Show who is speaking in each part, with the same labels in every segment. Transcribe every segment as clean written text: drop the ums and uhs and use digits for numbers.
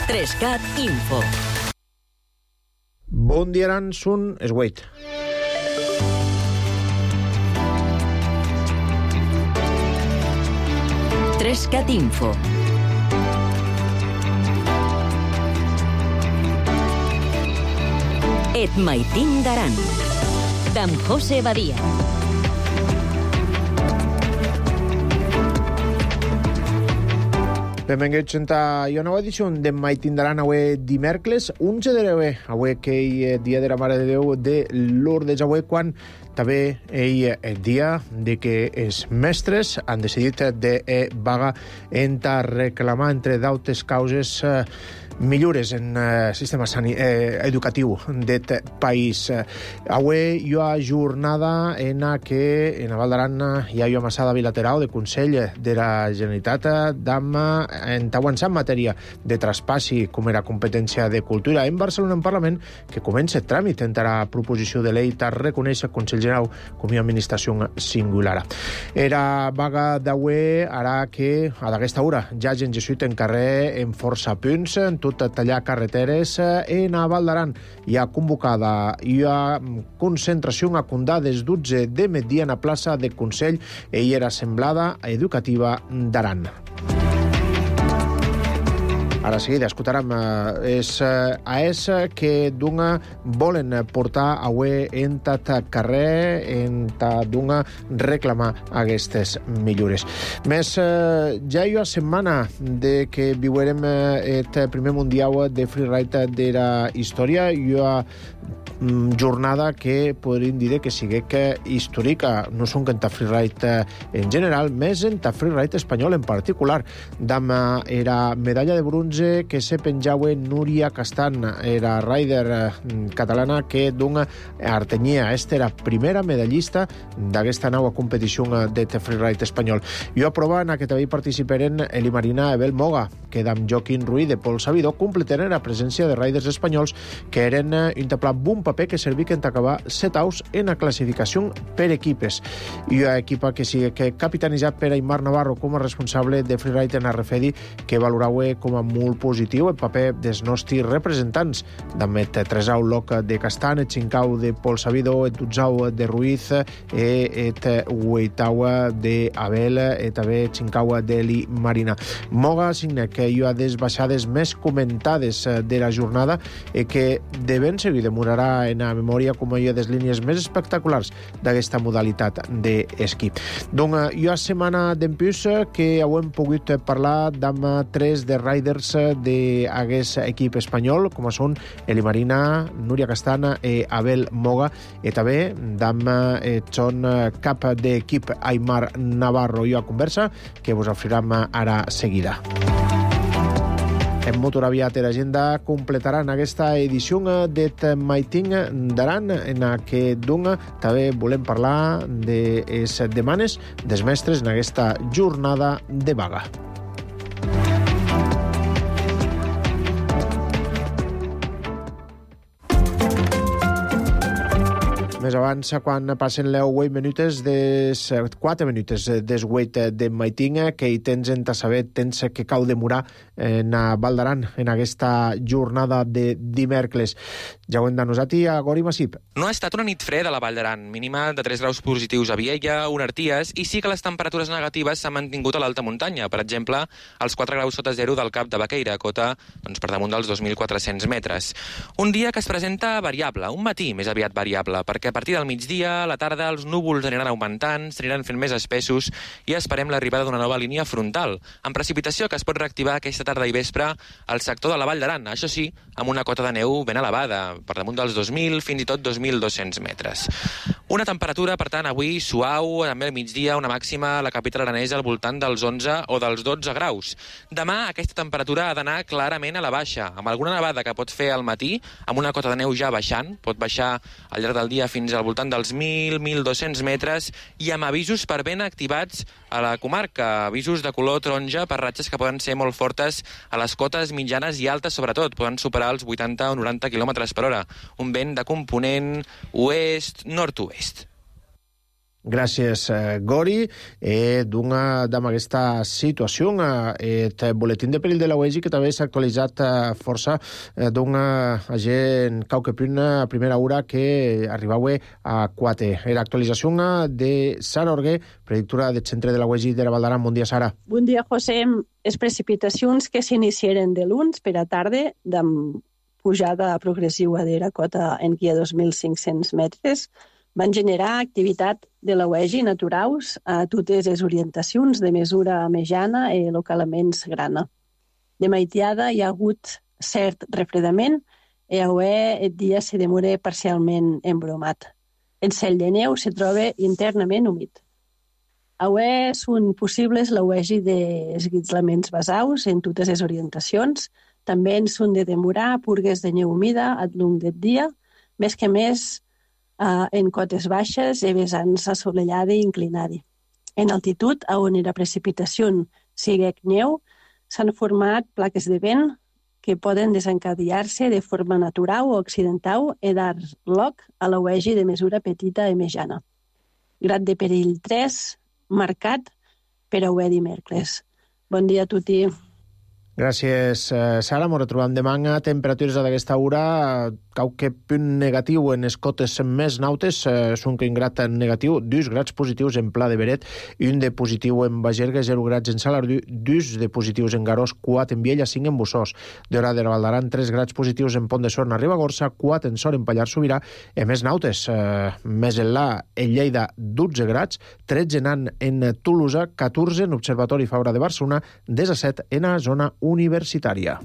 Speaker 1: 3CAT Info.
Speaker 2: Bon dia, Aran, són es 8.
Speaker 1: Trescat Info. Et maitin d'Aran. D'en José Badia.
Speaker 2: Benvinguts a una nova edició de Maitin d'Aran avui dimecres, 11 de l'Eue, avui que és dia de la Mare de Déu de Lourdes, avui quan també és el dia de que els mestres han decidit de vaga a reclamar, entre d'altres causes, millores en el sistema educatiu d'aquest país. Avui hi ha jornada en què en Val d'Aran hi ha una massada bilateral de Consell de la Generalitat en avançar en matèria de traspassi com era competència de cultura en Barcelona en Parlament, que comença el tràmit en la proposició de llei per reconèixer el Consell General com a administració singular. Era vaga d'avui harà que a d'aquesta hora ja gent jesuït en carrer en força punts, en tot tallar carreteres. En Val d'Aran hi ha convocada hi ha concentració a condar des 12 de migdia en la plaça de Consell i era assemblada educativa d'Aran. Ara seguida escoltarem els AES que volen portar avui en tot carrer, reclamar aquestes millores. Més, ja hi ha setmana de que viurem el primer mundial de freeride de la història. Hi ha jornada que podríem dir que sigui històrica, no són que en ta freeride en general, més en ta freeride espanyol en particular. Dama era medalla de bronze que se penjava Núria Castan, era rider catalana que artenia. Esta era primera medallista d'aquesta nova competició de freeride espanyol. Jo aprova en que també participaren Eli Marina, Abel Moga, que amb Joaquín Ruiz de Pol Sabidor completaren la presència de riders espanyols que eren un bon paper que serviquen a acabar 7 aus en la classificació per equipes. I una equipa que sigui capitanitzat per Aimar Navarro com a responsable de freeride en Arrefedi, que valorava com a molt positiu el paper dels nostres representants, d'Amet 3 au Loc de Castan, el 5 au de Pol Sabidor, el 12 au de Ruiz, el 8 au d'Abel, i també el 5 au d'Eli Marina. Moga signa que hi ha des baixades més comentades de la jornada i que de ben seguir demorarà en la memòria com hi ha des línies més espectaculars d'aquesta modalitat d'esquí. Doncs hi ha setmana d'empús que hem pogut parlar amb 3 de riders d'aquest equip espanyol, com són Eli Marina, Núria Castana i Abel Moga, i també amb son cap d'equip Aimar Navarro. I a conversa que vos oferirem ara seguida. En Motor Aviat i l'agenda completaran aquesta edició de Maitin d'Aran, en què també volem parlar de les demanes dels mestres en aquesta jornada de vaga. Més abans, quan passen les 4 minutes des 8 de Maitin, que hi tens en saber, tens que cau demorar en Val d'Aran en aquesta jornada de dimecres. Ja ho hem denosat a Gori Massip.
Speaker 3: No ha estat una nit freda a la Vall d'Aran, mínima de 3 graus positius a Viella, Unarties, i sí que les temperatures negatives s'han mantingut a l'alta muntanya. Per exemple, els 4 graus sota zero del Cap de Baqueira, cota per damunt dels 2.400 metres. Un dia que es presenta variable, un matí més aviat variable, perquè a partir del migdia, a la tarda, els núvols aniran augmentant, s'aniran fent més espessos i esperem l'arribada d'una nova línia frontal, amb precipitació que es pot reactivar aquesta tarda i vespre al sector de la Vall d'Aran, això sí, amb una cota de neu ben elevada, per damunt dels 2.000, fins i tot 2.200 metres. Una temperatura, per tant, avui suau, també al migdia, una màxima a la capital aranesa al voltant dels 11 o dels 12 graus. Demà aquesta temperatura ha d'anar clarament a la baixa, amb alguna nevada que pot fer al matí, amb una cota de neu ja baixant, pot baixar al llarg del dia fins al voltant dels 1.000-1.200 metres i amb avisos per vent activats a la comarca, avisos de color taronja per ratxes que poden ser molt fortes a les cotes mitjanes i altes, sobretot, poden superar els 80 o 90 km per hora. Un vent de component oest-nord-oest.
Speaker 2: Gràcies, Gori. Damb aquesta situació, el boletín de perill de la UEGI, que també s'ha actualitzat força d'un agent cauquepunt a primera hora que arribava a 4. Era actualització de Sara Orguer, predictora del centre de la UEGI de la Val d'Aran. Bon dia, Sara.
Speaker 4: Bon dia, José. Les precipitacions que s'iniciaren de l'uns per a tarda, amb pujada progressiva de la cota en qui a 2.500 metres, van generar activitat de la UEGI naturaus a totes les orientacions de mesura mitjana i localment grana. De maitiada hi ha hagut cert refredament i avui el dia se demora parcialment embromat. El cel de neu se troba internament humit. Avui són possibles la UEGI d'esguitzlaments basaus en totes les orientacions. També en són de demorar purgues de neu humida al llarg del dia, més que més en cotes baixes i vessants assolellada i inclinada. En altitud, on la precipitació sigui neu, s'han format plaques de vent que poden desencadenar-se de forma natural o accidental i dar lloc a la UEGI de mesura petita i mitjana. Grad de perill 3, marcat per a avui dimecres. Bon dia a tutti.
Speaker 2: Gràcies, Sara. Ens retrobem demà. Temperatures d'aquesta hora, qualque punt negatiu en les cotes més nautes, són que un grad negatiu, 2 grads positius en Pla de Beret, i un de positiu en Bagerga, 0 grads en Salardú, 2 de positius en Garós, 4 en Viella, 5 en Bussós. D'hora de la Val d'Aran, 3 grads positius en Pont de Sorn a Ribagorça, 4 en Sor en Pallars Sobirà, i més nautes, més enllà en Lleida, 12 grads, 13 en Tolosa, 14 en Observatori Fabra de Barcelona, 17 en la zona universitària.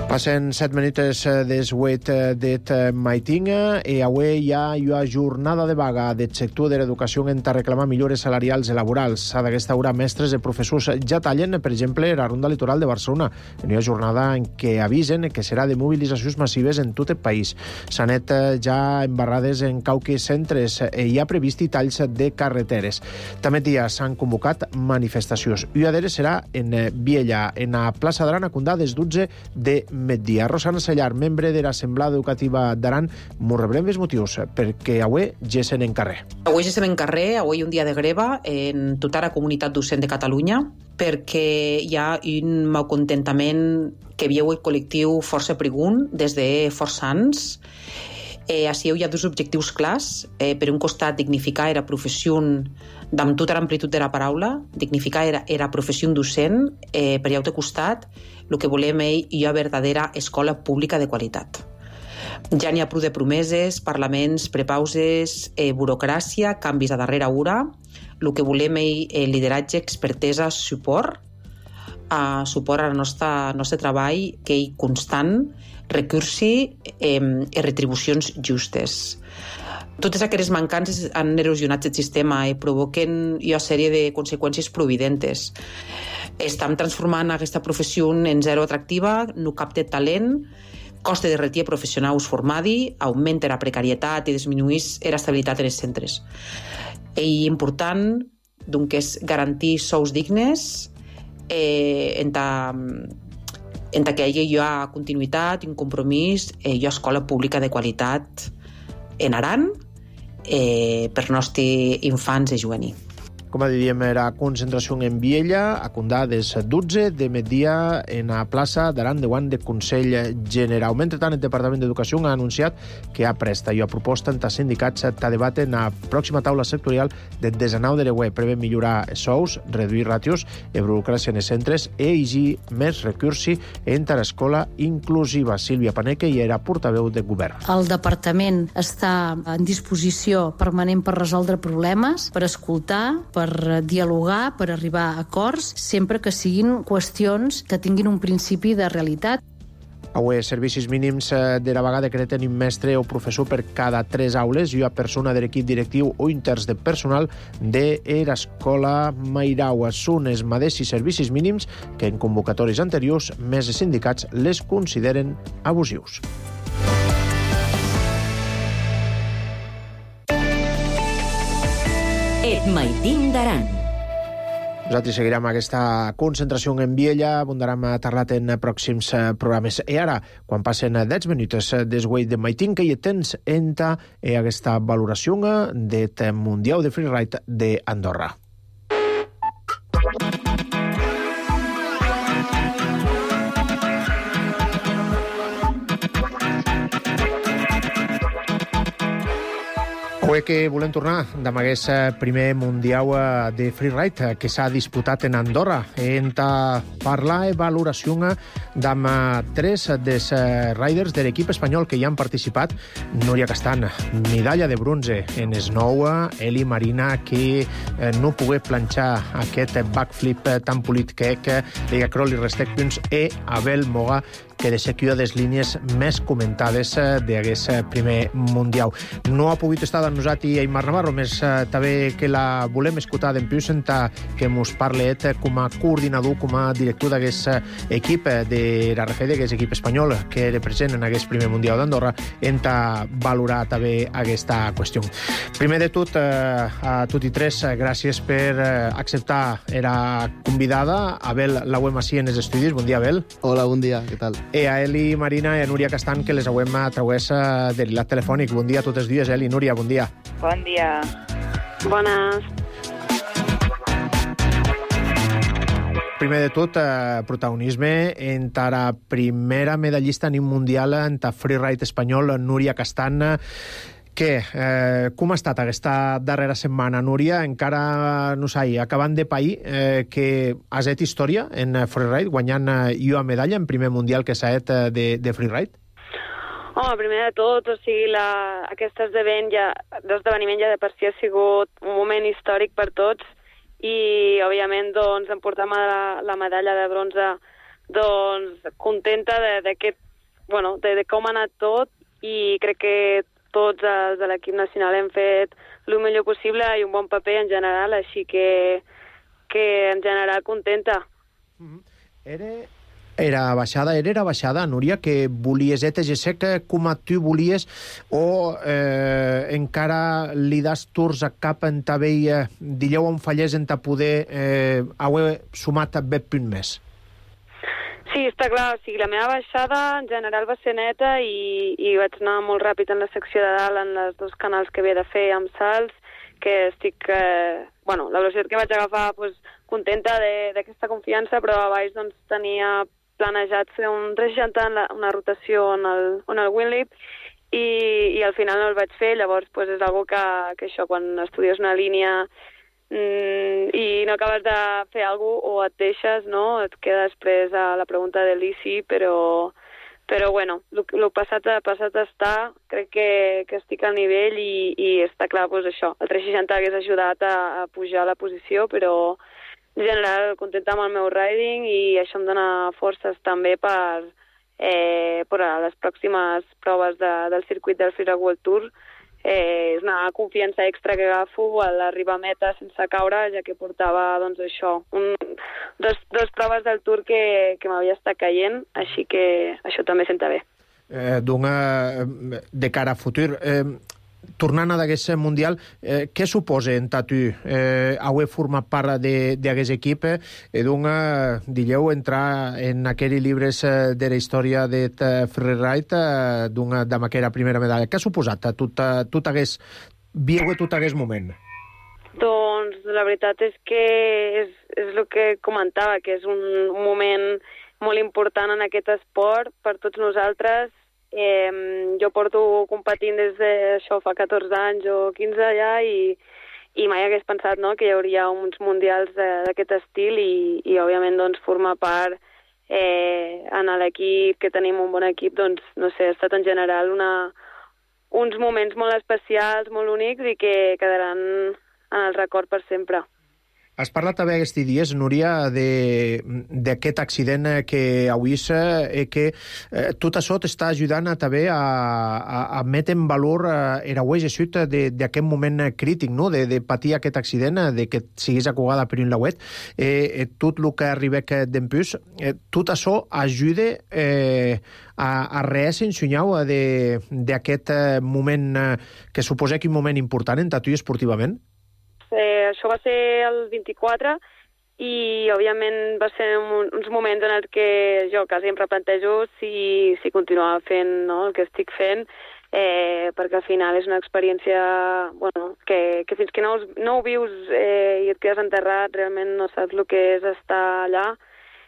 Speaker 2: Passen 7 minuts des 8 d'et maitinga i avui hi ha una jornada de vaga del sector de l'educació en reclamar millores salarials i laborals. A d'aquesta hora, mestres i professors ja tallen, per exemple, la Ronda Litoral de Barcelona, en una jornada en què avisen que serà de mobilitzacions massives en tot el país. S'han anat ja embarrades en qualques centres i hi ha previst talls de carreteres. També dia s'han convocat manifestacions. Una d'elles serà en Viella, en la plaça d'Aran, a Condà, des 12 de migdia. Rosana Sellar, membre de l'Assemblea Educativa d'Aran, m'ho revelem els motius, perquè avui gessen en carrer.
Speaker 5: Avui gessen en carrer, avui un dia de greva en tota la comunitat docent de Catalunya, perquè hi ha un malcontentament que viu el col·lectiu força pregunt des de força anys. Així hi ha dos objectius clars. Per un costat, dignificar la professió amb tota l'amplitud de la paraula, dignificar la professió docent, per l'altre costat, el que volem és una verdadera escola pública de qualitat. Ja n'hi ha prou de promeses, parlaments, prepauses, burocràcia, canvis a darrera hora. El que volem és lideratge, expertesa, suport al nostre treball, que és constant, recursi i retribucions justes. Totes aquestes mancances han erosionat el sistema i provoquen una sèrie de conseqüències providentes. Estem transformant aquesta professió en zero atractiva, no capta talent, costa de retir professionals formats, augmenta la precarietat i disminueix l'estabilitat en els centres. És important doncs, és garantir sous dignes en que hi ha continuïtat, un compromís i una escola pública de qualitat en Aran per nostres infants i juvenils.
Speaker 2: Com diríem, era concentració en Viella, a Condà, des 12 de migdia en la plaça d'Aran de Guant de Consell General. Mentrestant, el Departament d'Educació ha anunciat que ha presta i ha proposta entre sindicats a debat en la pròxima taula sectorial del 19 de l'UE. Prevé millorar sous, reduir ràtios i burocràcia en els centres i exigir més recursi entre l'escola inclusiva. Sílvia Paneque hi era portaveu de govern.
Speaker 6: El departament està en disposició permanent per resoldre problemes, per escoltar, per dialogar, per arribar a acords, sempre que siguin qüestions que tinguin un principi de realitat.
Speaker 2: Avui, servicis mínims de la vaga decreten un mestre o professor per cada 3 aules i una persona de l'equip directiu o interns de personal de l'escola Mairau. Són els mateixos servicis mínims que en convocatòries anteriors més sindicats les consideren abusius.
Speaker 1: Et Maitín d'Aran.
Speaker 2: Nosaltres seguirem aquesta concentració en Viella, abundarem a Tarlat en pròxims programes. I ara, quan passen 10 minuts desguai de maitin, que hi tens enta aquesta valoració del Mundial de Freeride d'Andorra. Avui que volem tornar amb aquest primer Mundial de Freeride que s'ha disputat en Andorra. Hem de parlar i valoració amb tres dels riders de l'equip espanyol que hi han participat. Núria Castan, medalla de bronze en snow, Eli Marina, que no pogué planxar aquest backflip tan polit que Liga Crawl i Restec punts, i Abel Moga, que de ser una de les línies més comentades d'aquest primer Mundial. No ha pogut estar amb nosaltres Aimar Navarro, més també que la volem escoltar d'en piu sentar que mos parle com a coordinador, com a director d'aquest equip de la RFD, d'aquest equip espanyol que era present en aquest primer Mundial d'Andorra, hem de valorar també aquesta qüestió. Primer de tot, a tots i tres, gràcies per acceptar la convidada. Abel l'auem així en els estudis. Bon dia, Abel.
Speaker 7: Hola, bon dia, què tal?
Speaker 2: I a Eli Marina i a Núria Castan, que les auem a través de l'hilat telefònic. Bon dia a totes dues, Eli. Núria, bon dia.
Speaker 8: Bon dia.
Speaker 4: Bones.
Speaker 2: Primer de tot, protagonisme en la primera medallista en un mundial en el freeride espanyol, Núria Castan. Com ha estat aquesta darrera setmana, Núria? Encara, no sé, acabant de pair que has fet història en freeride, guanyant una medalla en primer mundial que s'ha fet de freeride?
Speaker 8: Home, primer de tot, o sigui, aquest esdeveniment ja de per si ha sigut un moment històric per tots i, òbviament, doncs, emportar la medalla de bronze, doncs, contenta de com ha anat tot, i crec que tots els de l'equip nacional hem fet el millor possible i un bon paper en general, així que en general contenta.
Speaker 2: Era baixada, Núria, que volies com a tu volies, o encara li das tours a cap en ta veia dilleu on fallés en ta poder haver sumat a bet punt més?
Speaker 8: Sí, està clar, o sigui, la meva baixada en general va ser neta i vaig anar molt ràpid en la secció de dalt, en els dos canals que havia de fer amb salts, que estic, la velocitat que vaig agafar, doncs, contenta d'aquesta confiança, però a baix doncs, tenia planejat fer un 360 una rotació en el Winlip i al final no el vaig fer, llavors doncs, és una cosa que això, quan estudies una línia i no acabes de fer alguna cosa o et deixes, no? Et queda després a la pregunta de l'ICI, però bueno, el passat està, crec que estic al nivell i està clar, doncs això, el 360 hagués ajudat a pujar la posició, però en general contenta amb el meu riding i això em dona forces també per a les pròximes proves del circuit del Freeride World Tour. És una confiança extra que agafo a l'arribar a meta sense caure, ja que portava, doncs, això, dos proves del Tour que m'havia estat caient, així que això també senta bé.
Speaker 2: De cara a futur, tornant a d'aquest Mundial, què suposa en tu haver format part d'aquest equip digueu, entrar en aquells llibres de la història de freeride amb aquella primera medalla? Què ha suposat tot aquest moment?
Speaker 8: Doncs la veritat és que és el que comentava, que és un moment molt important en aquest esport per tots nosaltres. Jo porto competint des d'això fa 14 anys o 15 ja i mai hagués pensat, no, que hi hauria uns mundials d'aquest estil i òbviament doncs, formar part en l'equip, que tenim un bon equip, doncs no sé, ha estat en general uns moments molt especials, molt únics i que quedaran en el record per sempre.
Speaker 2: Has parlat també aquests dies, Núria, d'aquest accident que avui que tot això t'està ajudant també a metre en valor aquest d'aquest moment crític, no? De patir aquest accident, de que siguis acugada per un lauet, tot el que arriba d'empús, tot això ajuda a reensenyar d'aquest moment que suposa que un moment important en tu esportivament?
Speaker 8: Això va ser el 24 i òbviament va ser uns moments en els que jo quasi em replantejo si continuava fent, no, el que estic fent, perquè al final és una experiència que fins que no ho vius i et quedes enterrat realment no saps el que és estar allà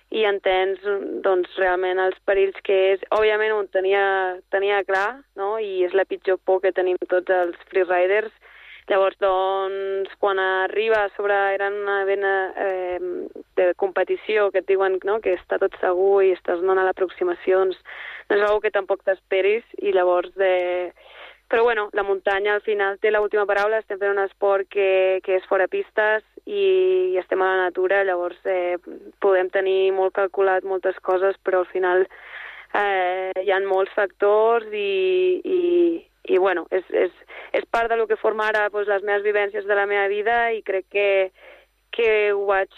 Speaker 8: i entens doncs, realment els perills que és. Òbviament ho tenia clar, no? I és la pitjor por que tenim tots els freeriders. Llavors, doncs, quan arriba a sobre era una vena de competició que et diuen, no?, que està tot segur i estàs donant l'aproximació, doncs no és una que tampoc t'esperis i llavors... Però bueno, la muntanya al final té l'última paraula, estem fent un esport que és fora pistes i estem a la natura, llavors podem tenir molt calculat moltes coses, però al final hi ha molts factors i bueno, és part del que forma ara doncs, les meves vivències de la meva vida i crec que ho vaig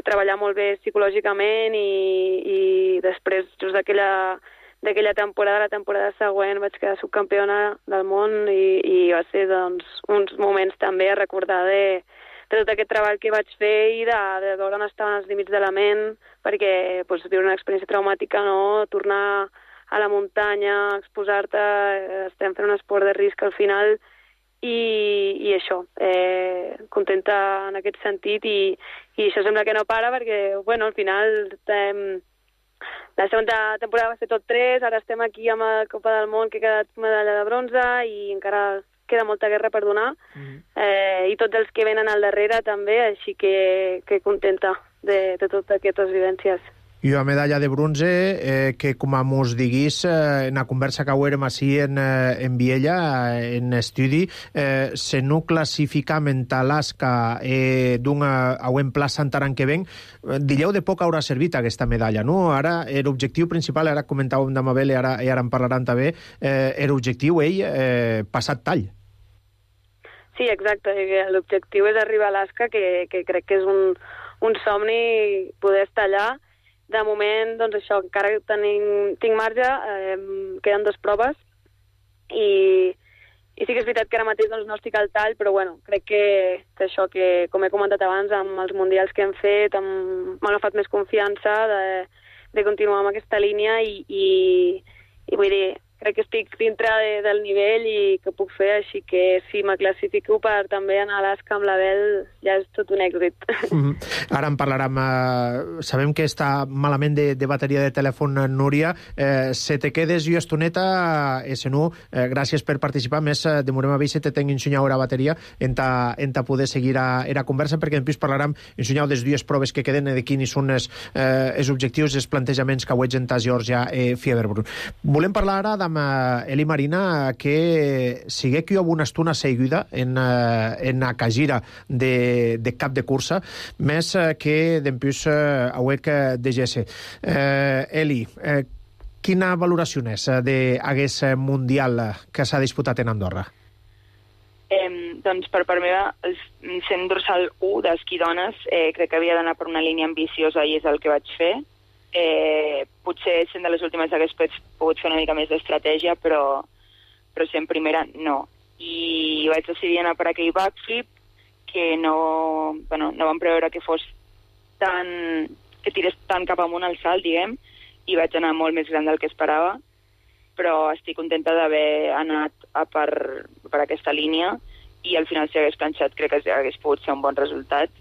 Speaker 8: treballar molt bé psicològicament i després, just d'aquella temporada, la temporada següent vaig quedar subcampiona del món i va ser doncs, uns moments també a recordar de tot aquest treball que vaig fer i de veure on estaven els límits de la ment, perquè doncs, viure una experiència traumàtica, no? Tornar a la muntanya, exposar-te, estem fent un esport de risc al final i això, contenta en aquest sentit i això sembla que no para perquè, bueno, al final la segona temporada va ser tot 3, ara estem aquí amb la Copa del Món que ha quedat medalla de bronze i encara queda molta guerra per donar i tots els que venen al darrere també, així que contenta de totes aquestes vivències.
Speaker 2: I una medalla de bronze que, com mos diguis, en la conversa que haurem així en Viella, en estudi, se no classifica Alaska d'un auent pla Santaran que ven, dileu de poc haurà servit aquesta medalla, no? Ara, l'objectiu principal, ara comentàvem de Mabel i ara en parlaran també, l'objectiu, passat tall.
Speaker 8: Sí, exacte. L'objectiu és arribar a Alaska, que crec que és un somni poder estar allà. De moment, doncs això, encara tinc marge, queden 2 proves i sí que és veritat que ara mateix doncs, no estic al tall, però bueno, crec que això que, com he comentat abans, amb els mundials que hem fet, m'han agafat més confiança de continuar amb aquesta línia i vull dir, crec que estic dintre del nivell i que puc fer, així que si me classifico per també anar a Alaska amb l'Abel ja és tot un èxit.
Speaker 2: Ara en parlarem. Sabem que està malament de bateria de telèfon, Núria. Se te quedes jo estoneta, no, gràcies per participar. Més, demorem a veure si te tenc ensenyar la bateria en ta poder seguir la conversa, perquè en plus parlarem ensenyar des 2 proves que queden de quins són els objectius, els plantejaments que veig en ta Georgia Fieberbrunn. Volem parlar ara amb Eli Marina, que sigue que hi ha una estona seguida en la cagira de cap de cursa, més que d'empús auec de GS. Eli, quina valoració és d'aquest mundial que s'ha disputat en Andorra?
Speaker 7: Doncs per part meva, el 100 dorsal 1 d'esquí dones crec que havia d'anar per una línia ambiciosa i és el que vaig fer. Potser sent de les últimes hagués pogut fer una mica més d'estratègia, però sent primera no. I vaig decidir anar per aquell backflip que no vam preveure que fos que tirés tant cap amunt al salt, diguem, i vaig anar molt més gran del que esperava, però estic contenta d'haver anat per aquesta línia i al final si hagués planxat crec que hagués pogut ser un bon resultat.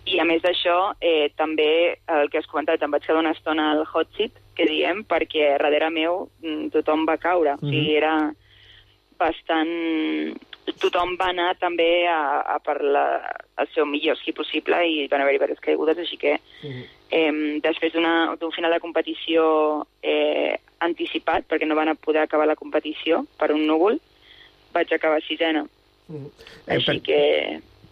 Speaker 7: I a més d'això, també el que has comentat, em vaig quedar una estona al hot seat, que diem, perquè darrere meu tothom va caure. O sigui, era bastant... Tothom va anar també a per el seu millor esquí possible i van haver-hi diverses caigudes, així que després d'un final de competició anticipat, perquè no van poder acabar la competició per un núvol, vaig acabar 6ena. Així que...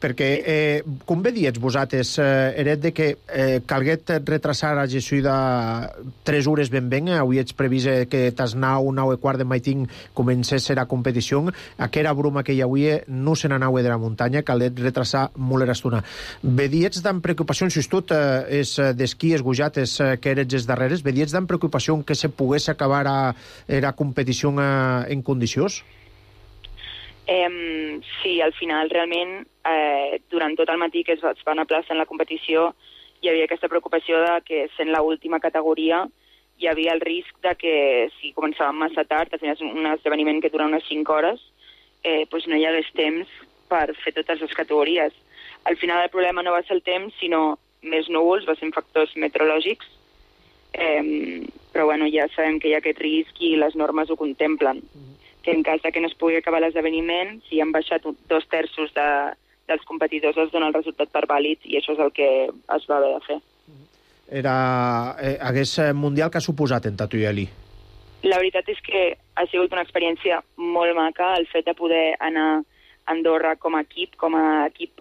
Speaker 2: Perquè, com vedies vosaltres, eret de que calguet retrasar a Jesuïda 3 hores ben, avui ets previst que tas 9:15 de maitín comencés la competició, aquera bruma que hi havia no se n'anava de la muntanya, calguet retrasar molt l'estona. Vedies d'en preocupació, si tot és d'esquí esgujates que eres els darreres, vedies d'en preocupació que se pogués acabar la competició en condicions?
Speaker 7: Sí, al final realment durant tot el matí que es van aplaçant la competició hi havia aquesta preocupació de que sent l'última categoria hi havia el risc de que si començàvem massa tard, al final és un esdeveniment que dura unes 5 hores, doncs no hi hagués temps per fer totes les categories. Al final el problema no va ser el temps, sinó més núvols, va ser factors meteorològics, però bueno, ja sabem que hi ha aquest risc i les normes ho contemplen. Que en cas de que no es pugui acabar l'esdeveniment, si han baixat 2/3 dels competidors es dona el resultat per vàlid i això és el que es va haver de fer.
Speaker 2: Hagués mundial que ha suposat en Tatuieli?
Speaker 7: La veritat és que ha sigut una experiència molt maca el fet de poder anar a Andorra com a equip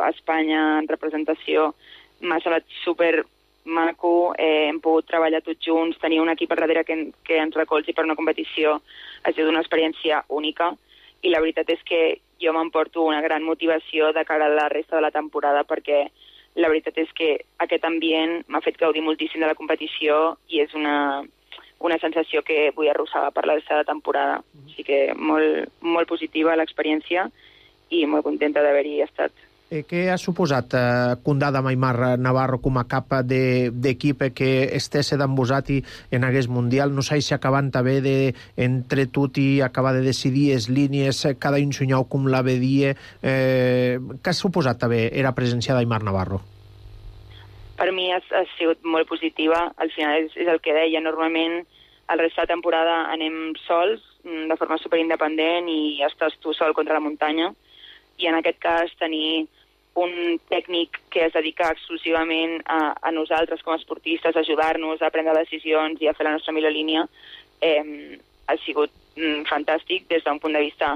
Speaker 7: a Espanya en representació. M'ha semblat super maco, hem pogut treballar tots junts, tenir un equip al darrere que ens recolzi per una competició ha sigut una experiència única i la veritat és que jo m'emporto una gran motivació de cara a la resta de la temporada perquè la veritat és que aquest ambient m'ha fet gaudir moltíssim de la competició i és una sensació que vull arrossegar per la resta de la temporada. Així que molt, molt positiva l'experiència i molt contenta d'haver-hi estat.
Speaker 2: Què ha suposat comptar amb Aimar Navarro com a cap d'equip que estés amb vosaltres en aquest Mundial? No sé si acabant també entre tot i acabar de decidir les línies, cada un soñau com la vedia. Què ha suposat també la presència d'Aimar Navarro?
Speaker 7: Per mi ha sigut molt positiva. Al final és el que deia. Normalment el rest de la temporada anem sols, de forma superindependent i estàs tu sol contra la muntanya. I en aquest cas tenir un tècnic que es dedica exclusivament a nosaltres com a esportistes, a ajudar-nos a prendre decisions i a fer la nostra millor línia, ha sigut fantàstic des d'un punt de vista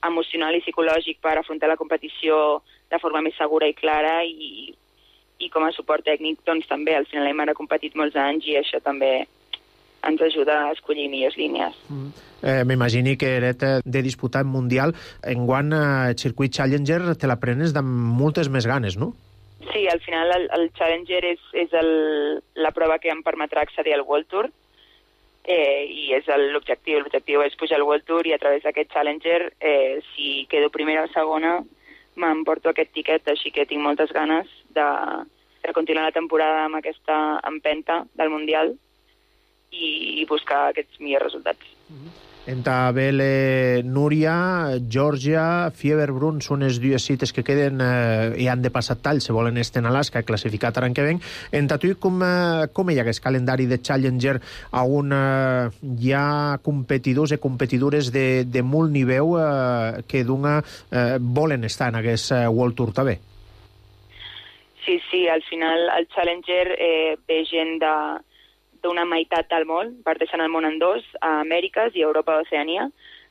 Speaker 7: emocional i psicològic per afrontar la competició de forma més segura i clara i com a suport tècnic doncs també. Al final Aimar ha competit molts anys i això també ens ajuda a escollir millors línies.
Speaker 2: M'imagini que eres de disputar el Mundial. Enguany el circuit Challenger te l'aprenes amb moltes més ganes, no?
Speaker 7: Sí, al final el Challenger és la prova que em permetrà accedir al World Tour i és l'objectiu. L'objectiu és pujar al World Tour i a través d'aquest Challenger, si quedo primera o segona, m'emporto aquest tiquet, així que tinc moltes ganes de continuar la temporada amb aquesta empenta del Mundial i buscar aquests millors resultats.
Speaker 2: Entre Bele, Núria, Geòrgia, Fieberbrunn són les dues cites que queden i han de passar tall, se volen estar en Alaska, classificat l'any que ven. Entre tu, com hi ha aquest calendari de Challenger on hi ha competidors i competidores de molt nivell que volen estar en aquest World Tour també?
Speaker 7: Sí, al final el Challenger ve gent d'una meitat del món, parteixen el món en dos, a Amèriques i a Europa d'Oceania,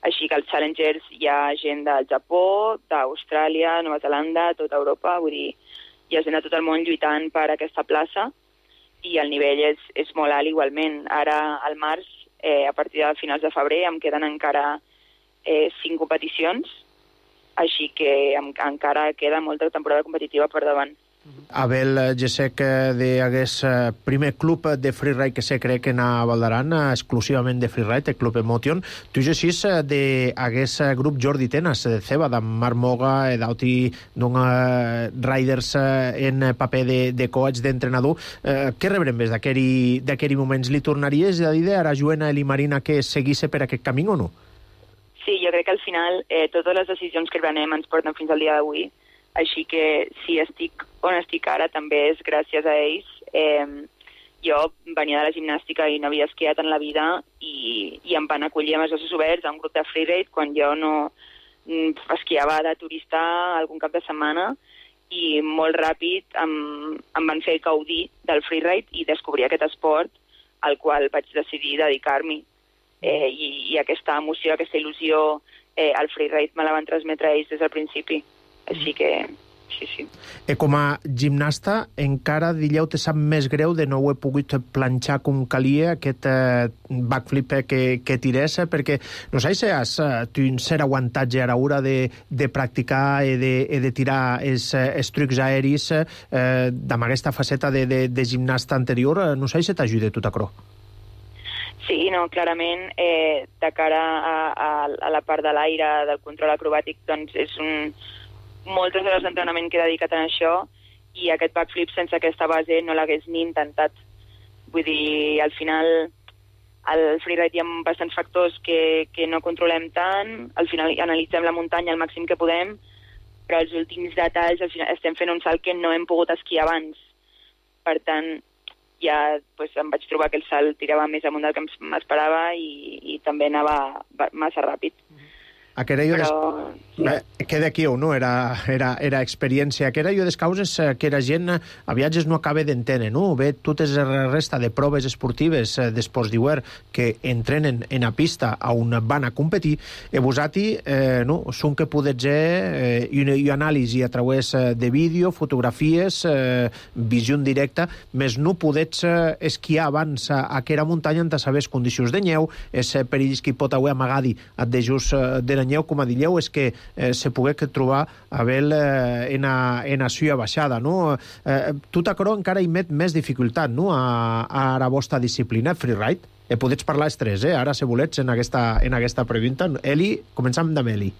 Speaker 7: així que als Challengers hi ha gent del Japó, d'Austràlia, Nova Zelanda, tota Europa, vull dir, hi ha gent de tot el món lluitant per aquesta plaça i el nivell és molt alt igualment. Ara, al març, a partir de finals de febrer, em queden encara 5 competicions, així que encara queda molta temporada competitiva per davant.
Speaker 2: Abel Gesek d'aquest primer club de freeride que se crec que a Valdaran, exclusivament de freeride, el Club Emotion. Tu gessís d'aquest grup Jordi Tenas, de Ceba, d'en Marc Moga, d'altres riders en paper de coach, d'entrenador. Què rebrem més d'aquells moments? Li tornaries a dir a Joana i Marina que seguís per aquest camí o no?
Speaker 7: Sí, jo crec que al final totes les decisions que prenem ens porten fins al dia d'avui. Així que si estic on estic ara també és gràcies a ells. Jo venia de la gimnàstica i no havia esquiat en la vida i em van acollir amb els braços oberts a un grup de freeride quan jo no esquiava de turista algun cap de setmana i molt ràpid em van fer gaudir del freeride i descobrir aquest esport al qual vaig decidir dedicar-m'hi. I aquesta emoció, aquesta il·lusió, el freeride me la van transmetre ells des del principi. Així que, sí.
Speaker 2: Com a gimnasta, encara, diríeu, te sap més greu de no ho he pogut planxar com calia, aquest backflip que tirés, perquè no sé si has un cert aguantatge a l'hora de practicar i de tirar els trucs aeris amb aquesta faceta de gimnasta anterior. No sé si t'ajuda tot això.
Speaker 7: Sí, no, clarament, de cara a la part de l'aire, del control acrobàtic, doncs és moltes hores d'entrenament que he dedicat a això, i aquest backflip sense aquesta base no l'hagués ni intentat. Vull dir, al final, al freeride hi ha bastants factors que no controlem tant, al final analitzem la muntanya al màxim que podem, però els últims detalls, al final estem fent un salt que no hem pogut esquiar abans. Per tant, ja em vaig trobar que el salt tirava més amunt del que m'esperava i també anava massa ràpid.
Speaker 2: Però... Queda aquí o no, era experiència. Aquera jo des causes que la gent a viatges no acaba d'entendre, no? Ve totes la resta de proves esportives d'esports-d'hivern que entrenen en la pista on van a competir, e vosati no, són que podets i anàlisi a través de vídeo, fotografies, visió en directa, més no podets esquiar abans a aquera muntanya en saber condicions de neu, és perills que hi pot haver amagadi a de just de la neu, com a dilleu, és que se pogué trobar a en a suya baixada, no? Tu t'acro encara hi met més dificultat, no?, a la vostra disciplina, freeride. Podets parlar els tres, ara, si volets, en aquesta pregunta. Eli, començam amb Eli.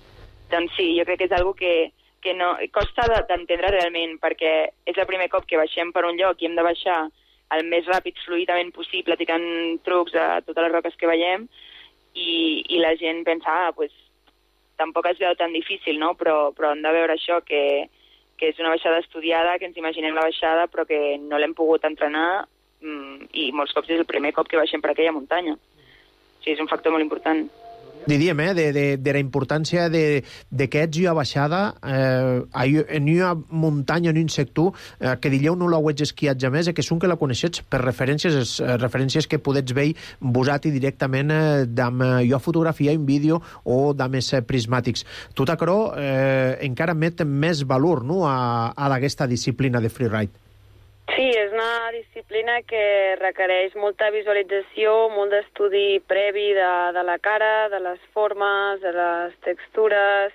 Speaker 7: Doncs sí, jo crec que és algo que no costa d'entendre realment, perquè és el primer cop que baixem per un lloc i hem de baixar el més ràpid, fluidament possible, tirant trucs a totes les roques que veiem, i la gent pensa, tampoc es veu tan difícil, no? Però hem de veure això, que és una baixada estudiada, que ens imaginem la baixada, però que no l'hem pogut entrenar, i molts cops és el primer cop que baixem per aquella muntanya. Sí, és un factor molt important.
Speaker 2: Diríem, de la importància de que ets a baixada en una muntanya, en un sector que dilleu no l'heu esquiat jamés, que són que la coneixets per referències que podets veure vosati directament amb jo fotografia, en vídeo o de més prismàtics. Tot això encara met més valor, no?, a aquesta disciplina de freeride.
Speaker 8: Sí, és una disciplina que requereix molta visualització, molt d'estudi previ de la cara, de les formes, de les textures,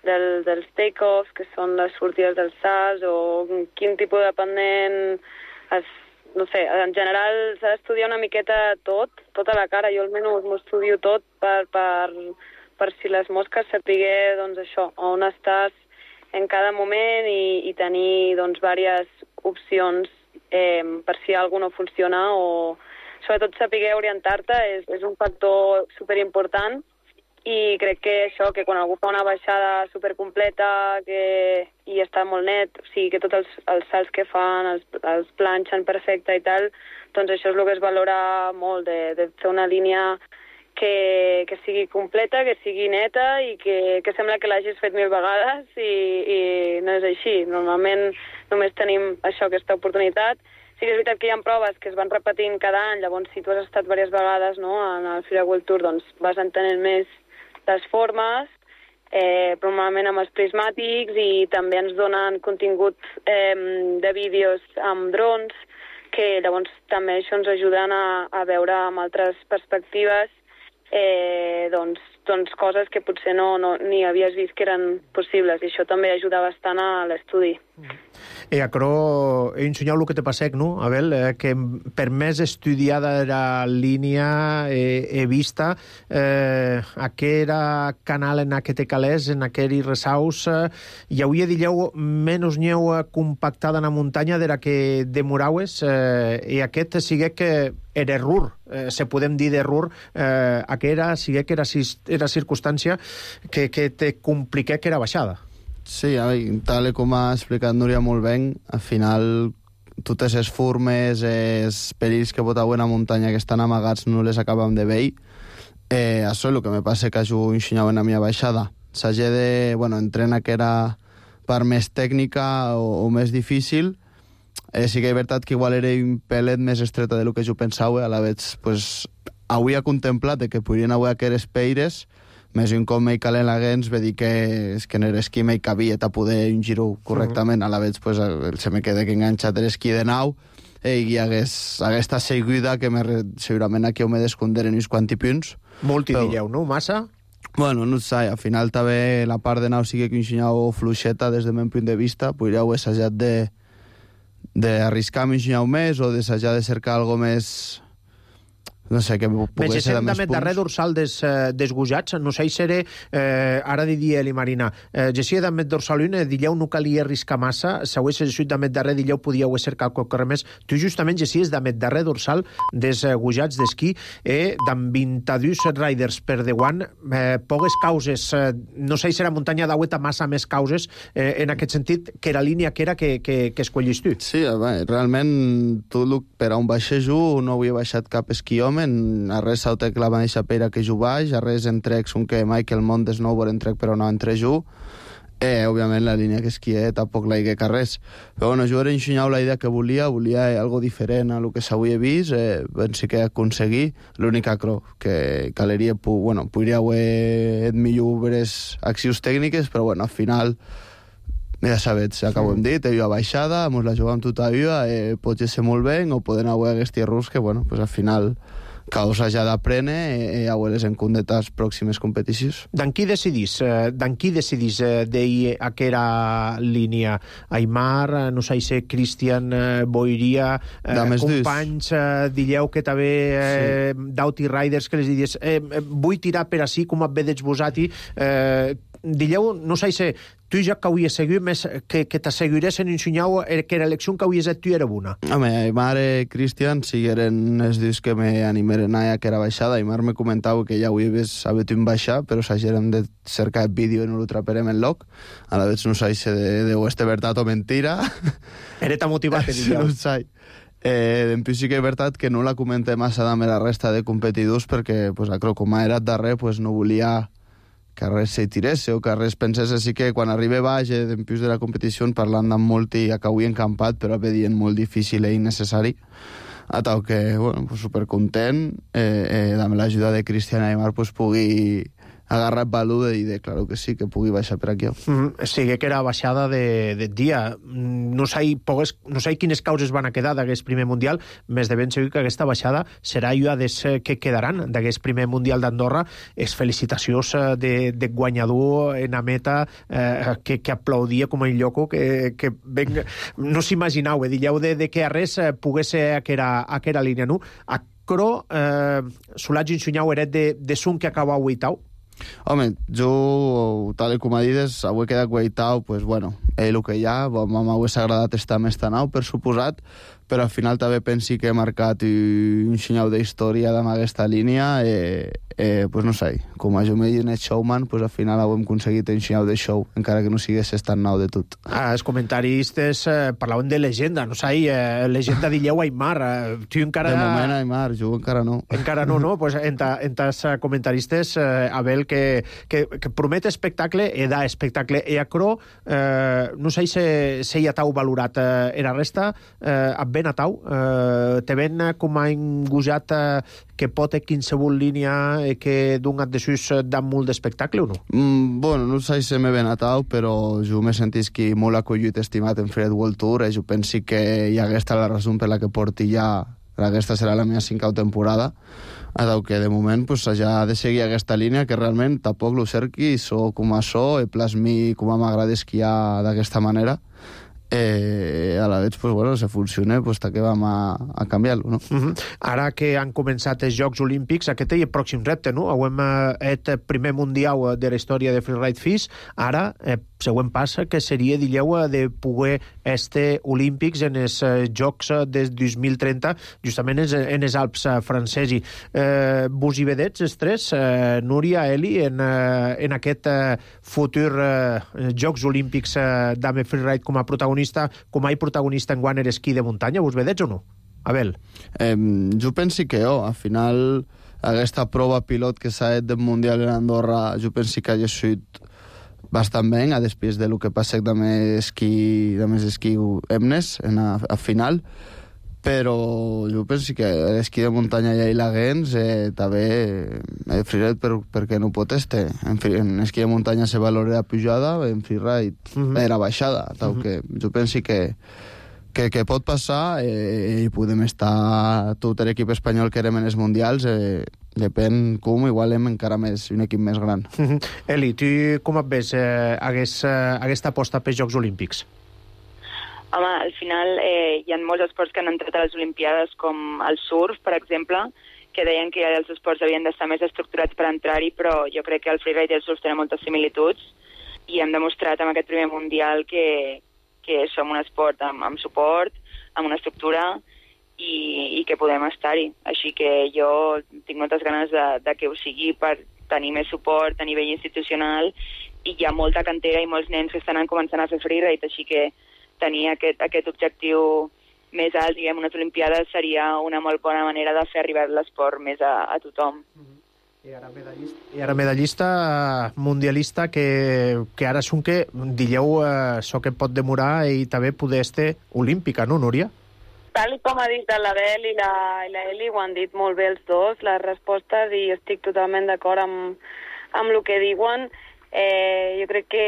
Speaker 8: dels take-offs, que són les sortides dels salts, o quin tipus de pendent... No sé, en general s'ha d'estudiar una miqueta tota la cara. Jo almenys m'ho estudio tot per si les mosques sapiguer, doncs això, on estàs en cada moment i tenir, doncs, diverses opcions per si alguna no funciona, o sobretot saber orientar-te és un factor superimportant, i crec que això, que quan algú fa una baixada supercompleta i està molt net, o sigui, que tots els salts que fan els planxen perfecte i tal, doncs això és el que es valora molt, de fer una línia que sigui completa, que sigui neta i que sembla que l'hagis fet 1000 vegades, i no és així. Normalment només tenim això, aquesta oportunitat. Sí que és veritat que hi ha proves que es van repetint cada any, llavors si tu has estat diverses vegades, no, en el Freeride World Tour, doncs vas entenent més les formes, però normalment amb els prismàtics, i també ens donen contingut de vídeos amb drons, que llavors també això ens ajuden a veure amb altres perspectives doncs coses que potser ni havies vist que eren possibles, i això també ajuda bastant a l'estudi.
Speaker 2: Aquerò ensenyau el que te passec, no, Abel? Que per més estudiada la línia he vista aquera canal en què te calés, en aquell ressaus, hi hauria, dilleu, menys neu compactada en la muntanya de la que demoraues, i aquest sigue que era error, se podem dir d'error, sigue que era circumstància que te compliqué que era baixada.
Speaker 9: Sí, tal com ha explicat Núria molt bé, al final totes les formes, els perills que pot haver en la muntanya que estan amagats no les acabem de veure. Això és el que me passa que jo ensenyava en la meva baixada. S'hagi de, entrenar que era part més tècnica o més difícil. Sí que és veritat que igual era un pelet més estreta del que jo pensava, a la vegada, avui ha contemplat que podrien haver aquestes peires, més un cop m'hi calen la gens, ve dir que en l'esquí m'hi cabia a poder un giro correctament, a la vegada se me queda que enganxat l'esquí de nau, i hi hagués aquesta seguida que segurament aquí ho m'he d'esconder en uns quanti punts.
Speaker 2: Molt hi dilleu, no? Massa?
Speaker 9: Bueno, no sé, al final també la part de nau sigui que ensenyau fluixeta des del meu punt de vista, podríeu assajat d'arriscar-me ensenyau més, o d'assajar de cercar algo més no sé, que pogués ser de més punts.
Speaker 2: Darrer dorsal desgujats, no sé si era, ara diria Eli Marina, gessia de met dorsal 1, dilleu no calia arriscar massa, si ho és de met darrer, dilleu podíeu cercar qualque més. Tu justament gessies de met darrer dorsal desgujats d'esquí, d'en 22 riders per deguant, poques causes, no sé si era muntanya d'aueta massa més causes, en aquest sentit, que era línia que era que escollis tu.
Speaker 9: Sí, realment, tu per a un baixejo no havia baixat cap esquiòmetre, a res sautec la mateixa pera que jo baix, a res entrecs un que Michael Mont de snowboard entrec però no entre jo, òbviament la línia que esquié tampoc la higué que res, però bueno, jo era ensenyau la idea que volia algo diferent a lo que s'havia vist, pensi que aconseguir l'única cro que caleria, podria haver millors accions tècniques, però bueno, al final ja sabets, acabo hem dit, hi ha baixada, mos la jugam tota viva, pot ser molt bé, o poden haver aquests errors que, bueno, pues al final causa ja d'aprendre a les encondetes pròximes competicions.
Speaker 2: D'en qui decidís d'ahir aquera línia? Aimar, no sé si Cristian Boiria, companys, dilleu que també d'Outi Riders que les diries vull tirar per ací com et veig vosati, dilleu, no sé si tu ja que hauries seguit més que t'asseguirés en ensenyau que l'elecció que hauries tu era bona.
Speaker 9: Home, Aimar i Cristian sigueren els dies que m'animeren a que era baixada. Aimar me comentava que ja ho havies sabut un baixar, però s'hagerem de cercar el vídeo i no lo traperem en loc. A la vegada no sé si de este veritat o mentira.
Speaker 2: Era tan motivat,
Speaker 9: no sé. En plus sí que és veritat que no la comenté massa amb la resta de competidors perquè, com era darrer, no volia que res se tirés o que res pensés, així que quan arriba baix en plus de la competició parlant amb molt i acabui encampat, però vedien molt difícil i innecessari, a tal que, supercontent, amb l'ajuda de Cristian Aimar pugui agarrar el valor i dir, claro que sí, que pugui baixar per aquí.
Speaker 2: Sí, que era baixada de dia. No sé quines causes van a quedar d'aquest primer Mundial, més de ben segur que aquesta baixada serà una des que quedaran d'aquest primer Mundial d'Andorra. És felicitacions de guanyador en la meta que aplaudia com a lloco, que no s'imaginau, dilleu de que a res pogués ser aquera línia, no? A Cro, Solatge Insunyau eret de Sun que acaba vuitau.
Speaker 9: Home, jo, tal com ha dit, avui he quedat guaitau, el que hi ha, m'hagués agradat estar més tan au, per suposat, però al final també pensi que he marcat un senyal d'història amb aquesta línia, no sé, com a jo m'he dit showman, al final hem aconseguit un senyal de show, encara que no sigués tan nou de tot.
Speaker 2: Els comentaristes parlaven de legenda, no sé, legenda dilleu Aimar, tu encara...
Speaker 9: De moment Aimar, jo encara no.
Speaker 2: Encara no, no? Pues els comentaristes, Abel, que promet espectacle, da espectacle, a Cro, no sé si hi ha tau valorat la resta, ben a tau, te ven com a engujat que pot qualsevol línia que donat de sus dan molt d'espectacle o no?
Speaker 9: No sé si m'he ben a tau, però jo m'he sentit que molt acollit estimat en Freeride World Tour, jo penso que hi haguesta la raó per la que porti ja, aquesta serà la meva 5a temporada, adau que de moment ja ha de seguir aquesta línia que realment tampoc lo cerqui, so com a so, plasmi com a m'agrada esquiar d'aquesta manera, a la vegada, si funciona, que vam a canviar-lo, no?
Speaker 2: Ara que han començat els Jocs Olímpics, aquest és el pròxim repte, no? Hem el primer mundial de la història de Freeride FIS, ara el següent pas que seria, dilleu, de poder estar olímpics en els Jocs del 2030, justament en els Alps francesos. Vos hi vedets, els tres, Núria, Eli, en aquest futur Jocs Olímpics d'Ame Freeride com a protagonista en guant esquí de muntanya, vos vedets o no? Abel?
Speaker 9: Jo penso que al final aquesta prova pilot que s'ha fet del Mundial en Andorra, jo penso que ha sigut bastant bé, després de lo que passa amb esquí Emnes a final, però jo penso que l'esquí de muntanya ja hi l'haguens, també freeride perquè no pot estar. En esquí de muntanya se valora la pujada, en freeride era baixada, que jo penso que pot passar i podem estar tot l'equip espanyol que érem en els mundials, depèn com, igual hem encara més un equip més gran.
Speaker 2: Eli, tu com et ves aquesta aposta pels Jocs Olímpics?
Speaker 7: Home, al final hi ha molts esports que han entrat a les Olimpiades, com el surf, per exemple, que deien que els esports havien d'estar més estructurats per entrar-hi, però jo crec que el freeride i el surf tenen moltes similituds i hem demostrat amb aquest primer mundial que som un esport amb suport, amb una estructura i que podem estar-hi. Així que jo tinc moltes ganes de que ho sigui per tenir més suport a nivell institucional i hi ha molta cantera i molts nens que estan començant a fer freeride, així que tenir aquest objectiu més alt, diguem, unes Olimpiades seria una molt bona manera de fer arribar l'esport més a tothom.
Speaker 2: I ara medallista mundialista que ara són que dilleu això que pot demorar i també poder estar olímpica, no, Núria?
Speaker 8: Tal com ha dit l'Abel i l'Eli, ho han dit molt bé els dos, les respostes, i estic totalment d'acord amb el que diuen. Jo crec que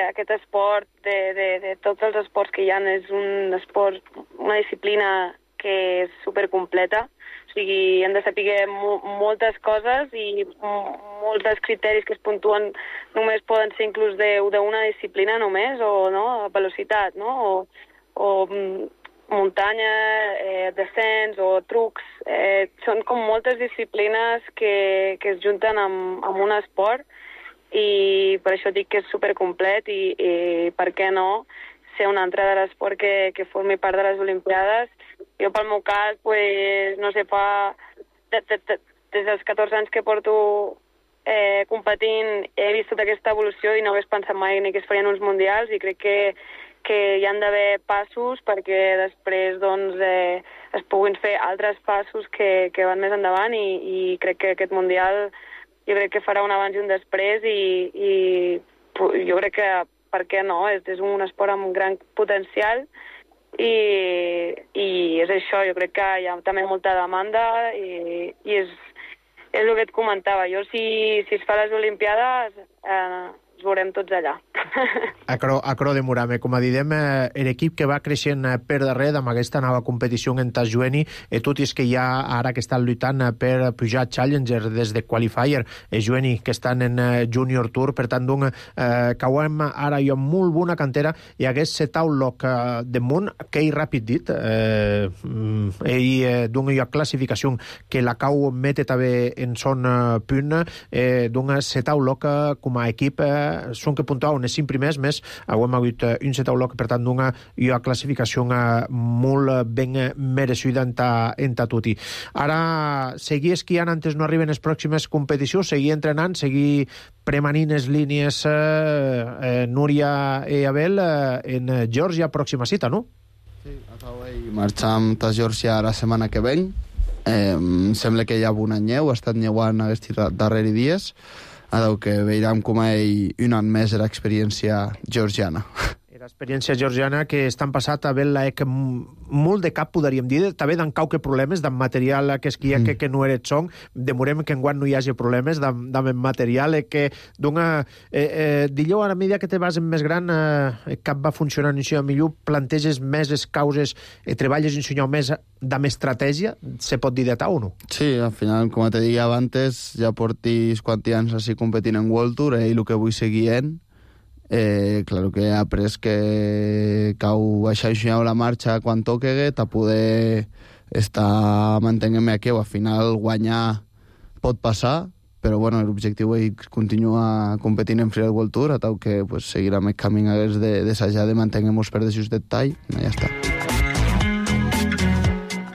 Speaker 8: aquest esport, de tots els esports que hi ha, és un esport, una disciplina que és supercompleta. O sigui, hem de saber moltes coses i molts dels criteris que es puntuen només poden ser inclús d'una disciplina només, o no, velocitat, no? O muntanya, descens o trucs. Són com moltes disciplines que es junten amb un esport i per això dic que és supercomplet i per què no ser un altre de l'esport que formi part de les Olimpiades. Jo pel meu cas, pues, no sé, des dels 14 anys que porto competint he vist tota aquesta evolució i no hagués pensat mai ni que es farien uns mundials, i crec que hi han d'haver passos perquè després doncs, es puguin fer altres passos que van més endavant, i crec que aquest mundial jo crec que farà un abans i un després, i jo crec que, per què no, és un esport amb gran potencial i és això, jo crec que hi ha també molta demanda i és el que et comentava. Jo, si es fa les Olimpiades, ens veurem tots allà.
Speaker 2: Acro de Murame, com a didem, l'equip que va creixent per darrere amb aquesta nova competició en tas jueni, tot és que hi ha ara que estan lluitant per pujar Challenger des de Qualifier, jueni que estan en Junior Tour, per tant, cauem ara jo molt bona cantera i hagués setau loc damunt, que hi ràpid dit, d'un jo classificació que la cau mete també en son punt, d'un setau loc com a equip, són que puntuaven els 5 primers, més hem hagut un setau loc, per tant, d'una classificació molt ben mereixida en tutti. Ara, seguir esquiant antes no arriben les pròximes competicions, seguir entrenant, seguir premanint les línies Núria i Abel en Geòrgia, pròxima cita, no?
Speaker 9: Sí, marxam a Geòrgia la setmana que ven. Sembla que hi ha una nyeu, ha estat nyeuant aquests darrers dies, que veurem com un any més l'experiència georgiana.
Speaker 2: L'experiència georgiana que estan passat a veure molt de cap, podríem dir, també d'en cauque problemes d'en material que esquia que no eres xong, demorem que enguany no hi hagi problemes d'en material, que dilleu a la medida que te vas en més gran cap va funcionar en millor, planteges més les causes, treballes en més d'amb estratègia, se pot dir de tal o no?
Speaker 9: Sí, al final, com te deia abans, ja portis quants anys així competint en World Tour i el que vull seguir claro que he après que cau baixar la marxa quan toque a poder estar mantenint-me aquí, o al final guanyar pot passar, però bueno, l'objectiu és continuar competint en Freeride World Tour, tal que pues, seguirem el camí d'assajar de mantenir-nos per deixar detall, i ja està.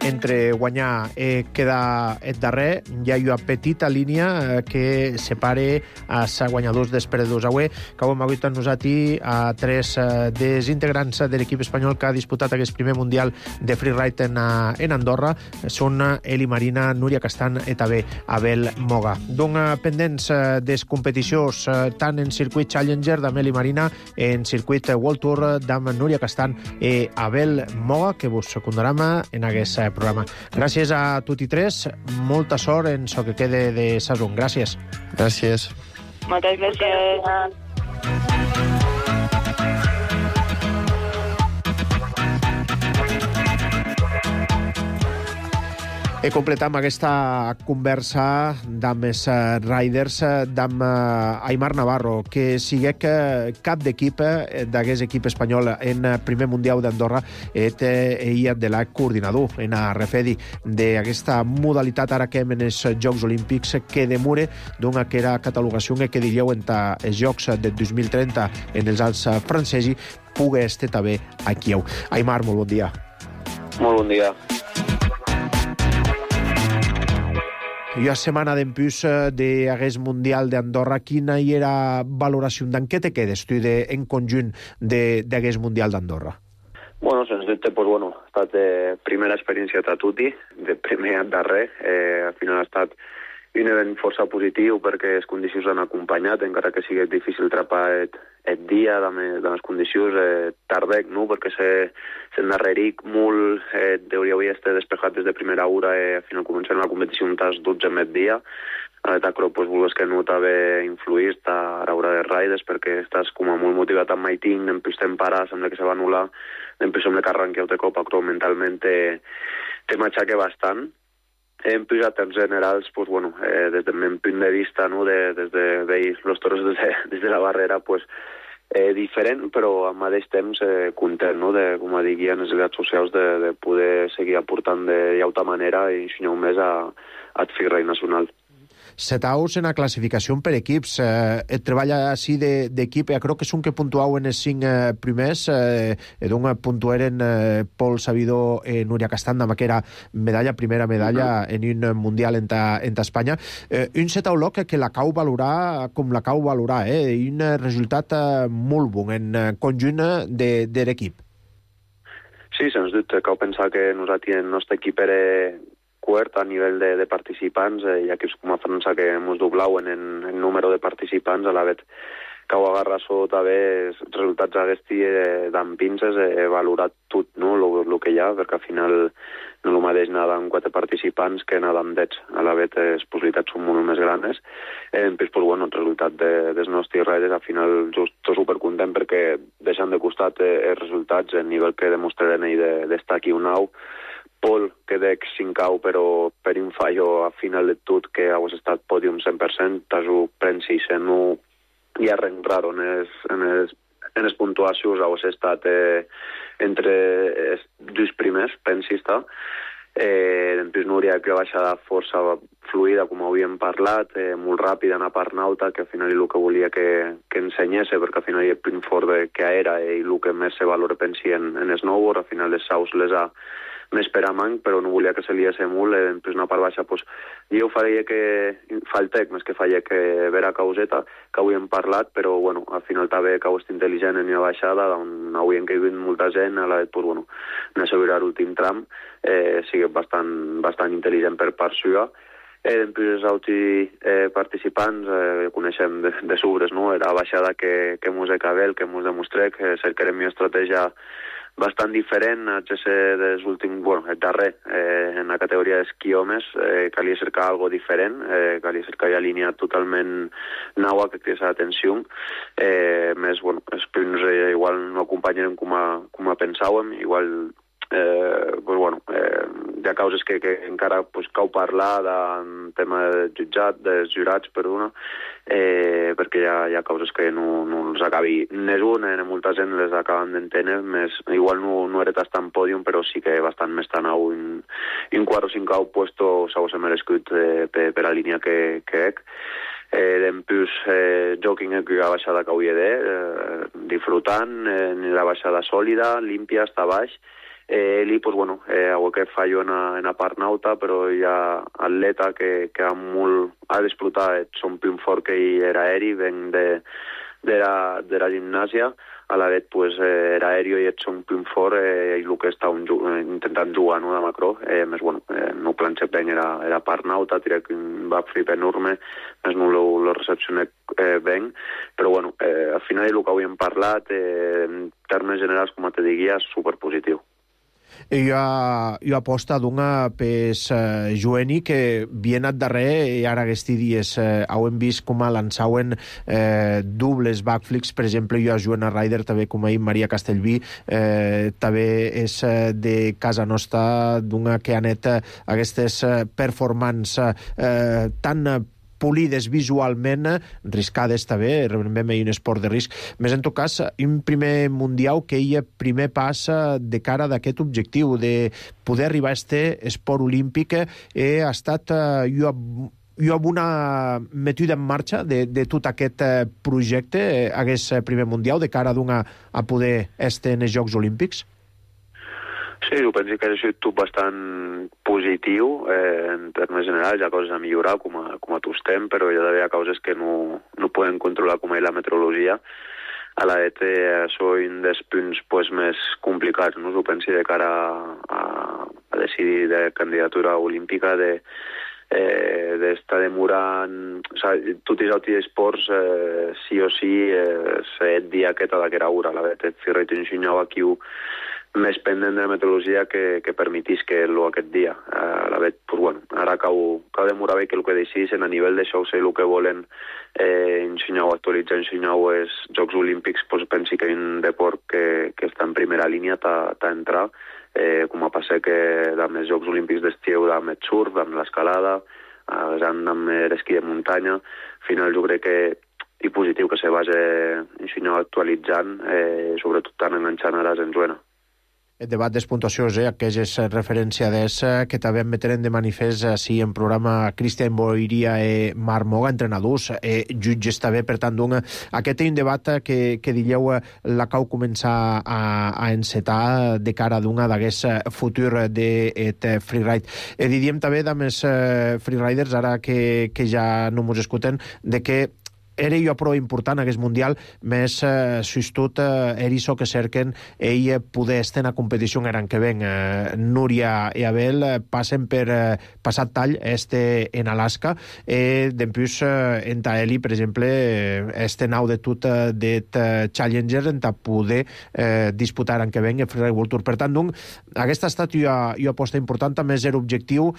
Speaker 2: Entre guanyar i quedar el darrer, hi ha una petita línia que separe els guanyadors dels perdedors. Avui, que hem hagut nosaltres a 3 dels integrants de l'equip espanyol que ha disputat aquest primer mundial de freeride en Andorra, són Eli Marina, Núria Castan i també Abel Moga. Donc, pendents des competicions tant en circuit Challenger d'amb Eli Marina, en circuit World Tour d'amb Núria Castan i Abel Moga, que vos secundarem en aquest programa. Gràcies a tots i tres, molta sort en el que quede de sezon. Gràcies.
Speaker 9: Gràcies.
Speaker 7: Moltes gràcies.
Speaker 2: Completam aquesta conversa amb els riders d'amb Aimar Navarro, que sigue cap d'equip d'aquest equip espanyol en primer mundial d'Andorra ell de la coordinador en a refedi d'aquesta modalitat ara que hem en els Jocs Olímpics que demure d'una que era catalogació que diríeu en els Jocs de 2030 en els Alps francesos pugui estar també a Kiev. Aimar, molt bon dia.
Speaker 10: Molt bon dia.
Speaker 2: I a setmana d'empús d'aquest Mundial d'Andorra, quina hi era valoració? D'en què te quedes tu en conjunt d'aquest Mundial d'Andorra?
Speaker 10: Bueno, sens dubte, ha estat primera experiència a tutti, de primer a darrer. Al final ha estat un event força positiu perquè les condicions han acompanyat, encara que sigui difícil trapar el dia de les condicions tardec, no? Perquè s'endarreric molt, hauria estat despejat des de primera hora, al final començant la competició un tas 12 met dia. A l'etacro, vulgues que no t'haver influït a l'hora de riders perquè estàs com a molt motivat amb maiting, després te'n parar, sembla que se va anul·lar, després sembla que arranqueu de cop, però mentalment te m'aixaque bastant. Hem pujat en generals, des del meu punt de vista, no, des de veure els toros des de la barrera, diferent, però al mateix temps content, no, de, com dic, en les xarxes socials, de poder seguir aportant de llauta manera i ensenyar més a freeride nacional.
Speaker 2: Setaus en la classificació per equips. Et treballa així d'equip. Crec que són que puntuau en els 5 primers. D'on puntueren Pol Sabidor i Núria Castanda, que era primera medalla en un mundial en Espanya. Un setau loc que la cau valorar com la cau valorar. Un resultat molt bon en conjunt de l'equip.
Speaker 10: Sí, sens dubte. Cau pensar que nosaltres, el nostre equip era quart a nivell de participants, hi ha equips com a França que ens doblauen en número de participants, a la vegada que ho agarra sota bé els resultats d'aquesti d'en pinces, valorat tot, no, el que hi ha, perquè al final no el mateix anar amb 4 participants que anar amb 10, a la vegada les possibilitats són molt més grans. El resultat dels nostres riders, al final jo estic supercontent perquè deixant de costat els resultats, el nivell que demostraren ells d'estar aquí un nou. Pol, que dec 5 però per un fallo a final de tot que hagués estat pòdium 100%, t'ho pensi sent hi ha res raro en les puntuacions, hagués estat entre els 2 primers, pensi està. Després Núria, que va baixar força fluida, com havíem parlat, molt ràpida en la part nauta, que al final el que volia que ensenyés, perquè al final el punt fort que era i el que més se valora, pensi, en snowboard, al final les saus les ha més per a manc, però no volia que se liés molt, després una part baixa, jo faria que faltec, més que faria que vera causeta, que havíem parlat, però al final també que és intel·ligent en la baixada, on havíem caigut molta gent, a la vegada, n'assegurar l'últim tram, sigui bastant intel·ligent per part seva. Després els altres participants coneixem de sobres, no? Era la baixada que mos acabel, que mos demostré, que cercarem una estratègia bastant diferent, dels últims, el darrer, en la categoria d'esquí homes, calia cercar algo diferent, calia cercar una línia totalment nova que cridés l'atenció, més, els punts igual no acompanyaren com a pensàvem, igual hi ha causes que encara cau parlar del tema dels jurats, perquè hi ha causes que no els acabi n'és una, molta gent les acaben d'entendre, igual no era tan pòdium, però sí que bastant més tan au un 4 o 5 puesto s'ha merescut per la línia que ec. Després jogging que la baixada que hauria disfrutant, la baixada sòlida, límpia, està baix. Ell, algo que fallo en la part nauta, però hi ha atleta que ha disfrutat son punt fort que ell era aeri, ven de la gimnàsia, a la vegada era aeri i ets un punt fort i el que està intentant jugar, no, de macro, més no planxa ben era part nauta, tira un backflip enorme, més no lo recepcioné ben, però al final el que havíem parlat, en termes generals, com te diria, és superpositiu.
Speaker 2: Jo aposta d'una pes Joeni que bien ad darrer i ara aquests dies hem vist com a lançauen dobles backflips, per exemple jo a Joana Ryder, també com ahir Maria Castellví, també és de casa nostra d'una que anet aquestes performances tan polides visualment, riscades també, realment un esport de risc. Més en tot cas, un primer mundial que hi ha primer pas de cara d'aquest objectiu, de poder arribar a aquest esport olímpic, ha estat jo amb una metuda en marxa de tot aquest projecte, aquest primer mundial, de cara a poder estar en els Jocs Olímpics?
Speaker 10: Sí, jo penso que ha sigut tot bastant positiu en termes generals. Hi ha coses a millorar, com a tot estem, però hi ha d'haver coses que no podem controlar, com la meteorologia. A la ET això és un dels punts més complicats, no? Jo penso de cara a decidir de candidatura olímpica, d'estar demorant... O sigui, tots els altres esports, sí o sí, set dia aquesta d'aquesta hora. La ET Firret ensenyava aquí més pendent de la meteorologia que permetís que aquest dia. La vet, pues bueno, ara cau demorar bé que el que decidissin a nivell d'això, o sigui, el que volen ensenyar o actualitzar, ensenyar els Jocs Olímpics, pues pensi que hi ha un deport que està en primera línia, t'entrar, com a passar que amb els Jocs Olímpics d'estiu, amb el surf, amb l'escalada, amb l'esquí de muntanya. Al final jo crec que és positiu que se vagi ensenyar actualitzant, sobretot tant enganxant ara en Joana.
Speaker 2: El debat de puntuacions, que és referència que també em meteren de manifest així en programa Cristian Boiria i Marc Moga, entrenadors, jutges també, per tant, aquest és un debat que diríeu la cau començar a encetar de cara d'aquest futur de freeride. Diríem també amb els freeriders, ara que ja no ens escolten, de que era jo prou important aquest mundial, més tot era això que cerquen ell poder estar en la competició l'any que ven. Núria i Abel passen per passat tall en Alaska, després en Taeli, per exemple, nau de tot de Challenger en poder disputar l'any que ven el Freeride World Tour. Per tant, aquesta ha estat jo aposta important, també és l'objectiu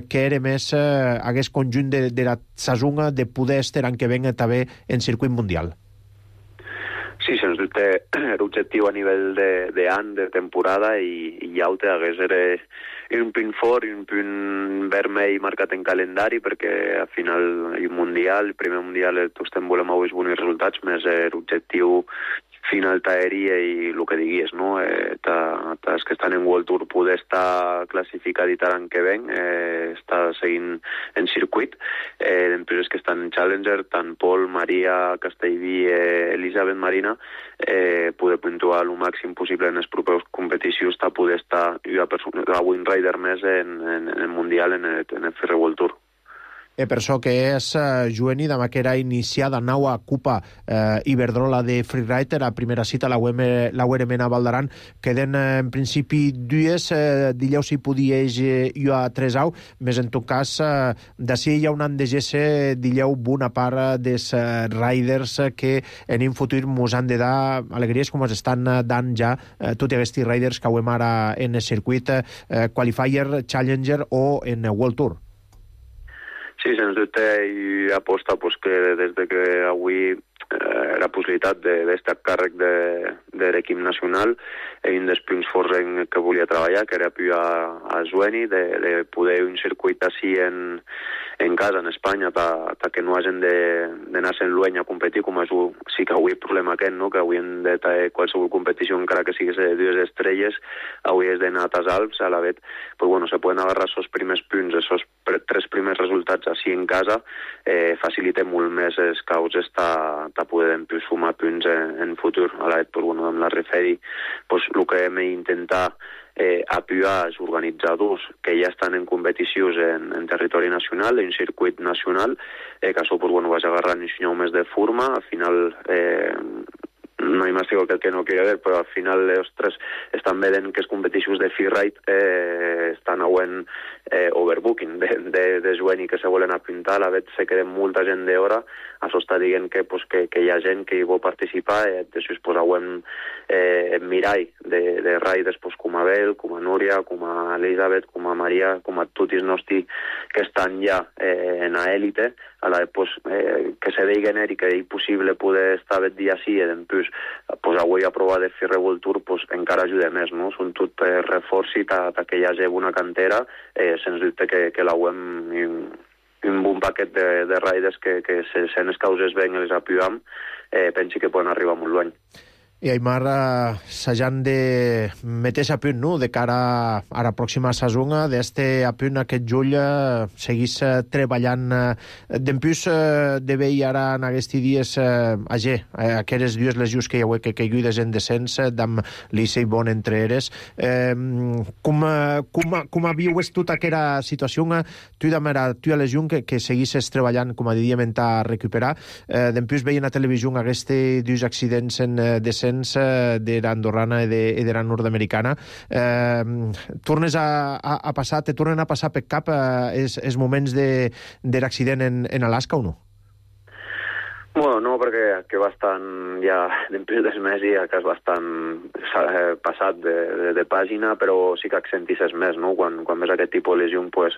Speaker 2: que era més aquest conjunt de la Sazunga de poder estar l'any que ven també en circuit mundial.
Speaker 10: Sí, sens dubte, l'objectiu a nivell d'any, de temporada, i altre hagués un punt fort i un punt vermell marcat en calendari, perquè al final hi ha un mundial, el primer mundial tots volem avui bons resultats, més l'objectiu final t'aèria i el que diguis, no? Els que estan en World Tour poder estar classificats l'any que ven, estar seguint en circuit, després que estan en Challenger, tant Pol, Maria, Castellví, Elisabet, Marina, poder puntuar el màxim possible en les properes competicions, poder estar a Wind Rider més en el Mundial, en el Freeride World Tour.
Speaker 2: Per això que és Joeni, demà que era iniciada nau a Copa Iberdrola de Freeride, la primera cita la URM a Valdaran, queden en principi dues, dilluns si podies jo a 3 au, més en tot cas d'ací hi ha un any de GC dilluns bona part dels riders que en un futur mos han de dar alegries com es estan dant ja tots aquests riders que hem ara en el circuit Qualifier, Challenger o en World Tour.
Speaker 10: Sí, sens dubte, i aposta que des que avui la possibilitat d'estar a càrrec de l'equip nacional és un dels punts forts en què volia treballar, que era a Joeni, de poder un circuit així en casa, en Espanya, que no hagin d'anar-se en Luenya a competir, com sí que avui el problema aquest, no? Que avui hem de tenir qualsevol competició, encara que siguis de 2 estrelles, avui és d'anar a les Alps, a la vet, pues bueno, se poden agarrar els primers punts, els 3 primers resultats així en casa, facilita molt més els caus estar poder sumar punts en futur. A la vet, pues bueno, amb la Referi, pues el que hem d'intentar apoyar els organitzadors que ja estan en competicions en territori nacional, en circuit nacional, que això pues, bueno, vas agarrant un senyor més de forma, al final no hi m'estigo que no quiere ver, però al final els tres estan veient que les competicions de freeride estan auent overbooking de jueni que se volen apuntar, a la vegada se queda molta gent d'hora, això està dient que hi ha gent que hi vol participar, després posauem mirall de riders com a Bel, com a Núria, com a Elisabet, com a Maria, com a tots els nostres que estan ja en l'élite, a la que se diguen i que és possible poder estar aquest dia sí, i després avui aprovar de fer Revoltur encara ajuda més, no? Són tot reforços que hi hagi una cantera, sens dubte que l'auem un bon paquet de riders que si les causes ben les apuam, pensi que poden arribar molt lluny.
Speaker 2: I Aimar, s'han de meter a punt, no?, de cara a la pròxima saison, d'este a punt aquest jull seguís treballant. D'empús de veure ara en aquests dies aquestes dues lesions que hi ha que lluides en descens, d'amb l'Issei Bon entre eres. Com viues tota aquesta situació? Tu a lesió que seguisses treballant, com a diem, a recuperar. D'empús veien a televisió aquests dos accidents en descens de l'andorrana i de la nord-americana. Tornes a passar, te tornen a passar per cap els moments de l'accident en Alaska o no?
Speaker 10: Bueno, no, perquè que bastant ja d'empús dels mesos que és bastant passat de pàgina, però sí que accentisses més, no? Quan ves aquest tipus de lesió, pues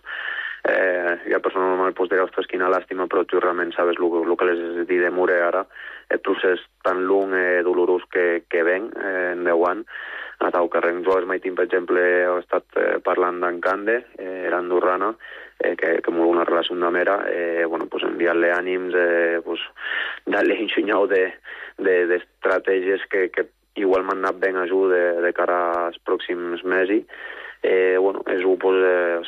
Speaker 10: la persona normal dirà, ostres, quina làstima, però tu realment sabes el que les dit de Mure ara, el procés tan long i dolorós que ven en 10 anys. A Tau Carreng Joves Maitín, per exemple, he estat parlant d'en Cande, l'andorrana, que molt una relació amb mera, enviar-li ànims, dar-li ensenyau d'estratègies que igual m'han anat ben a de cara als pròxims mesos. És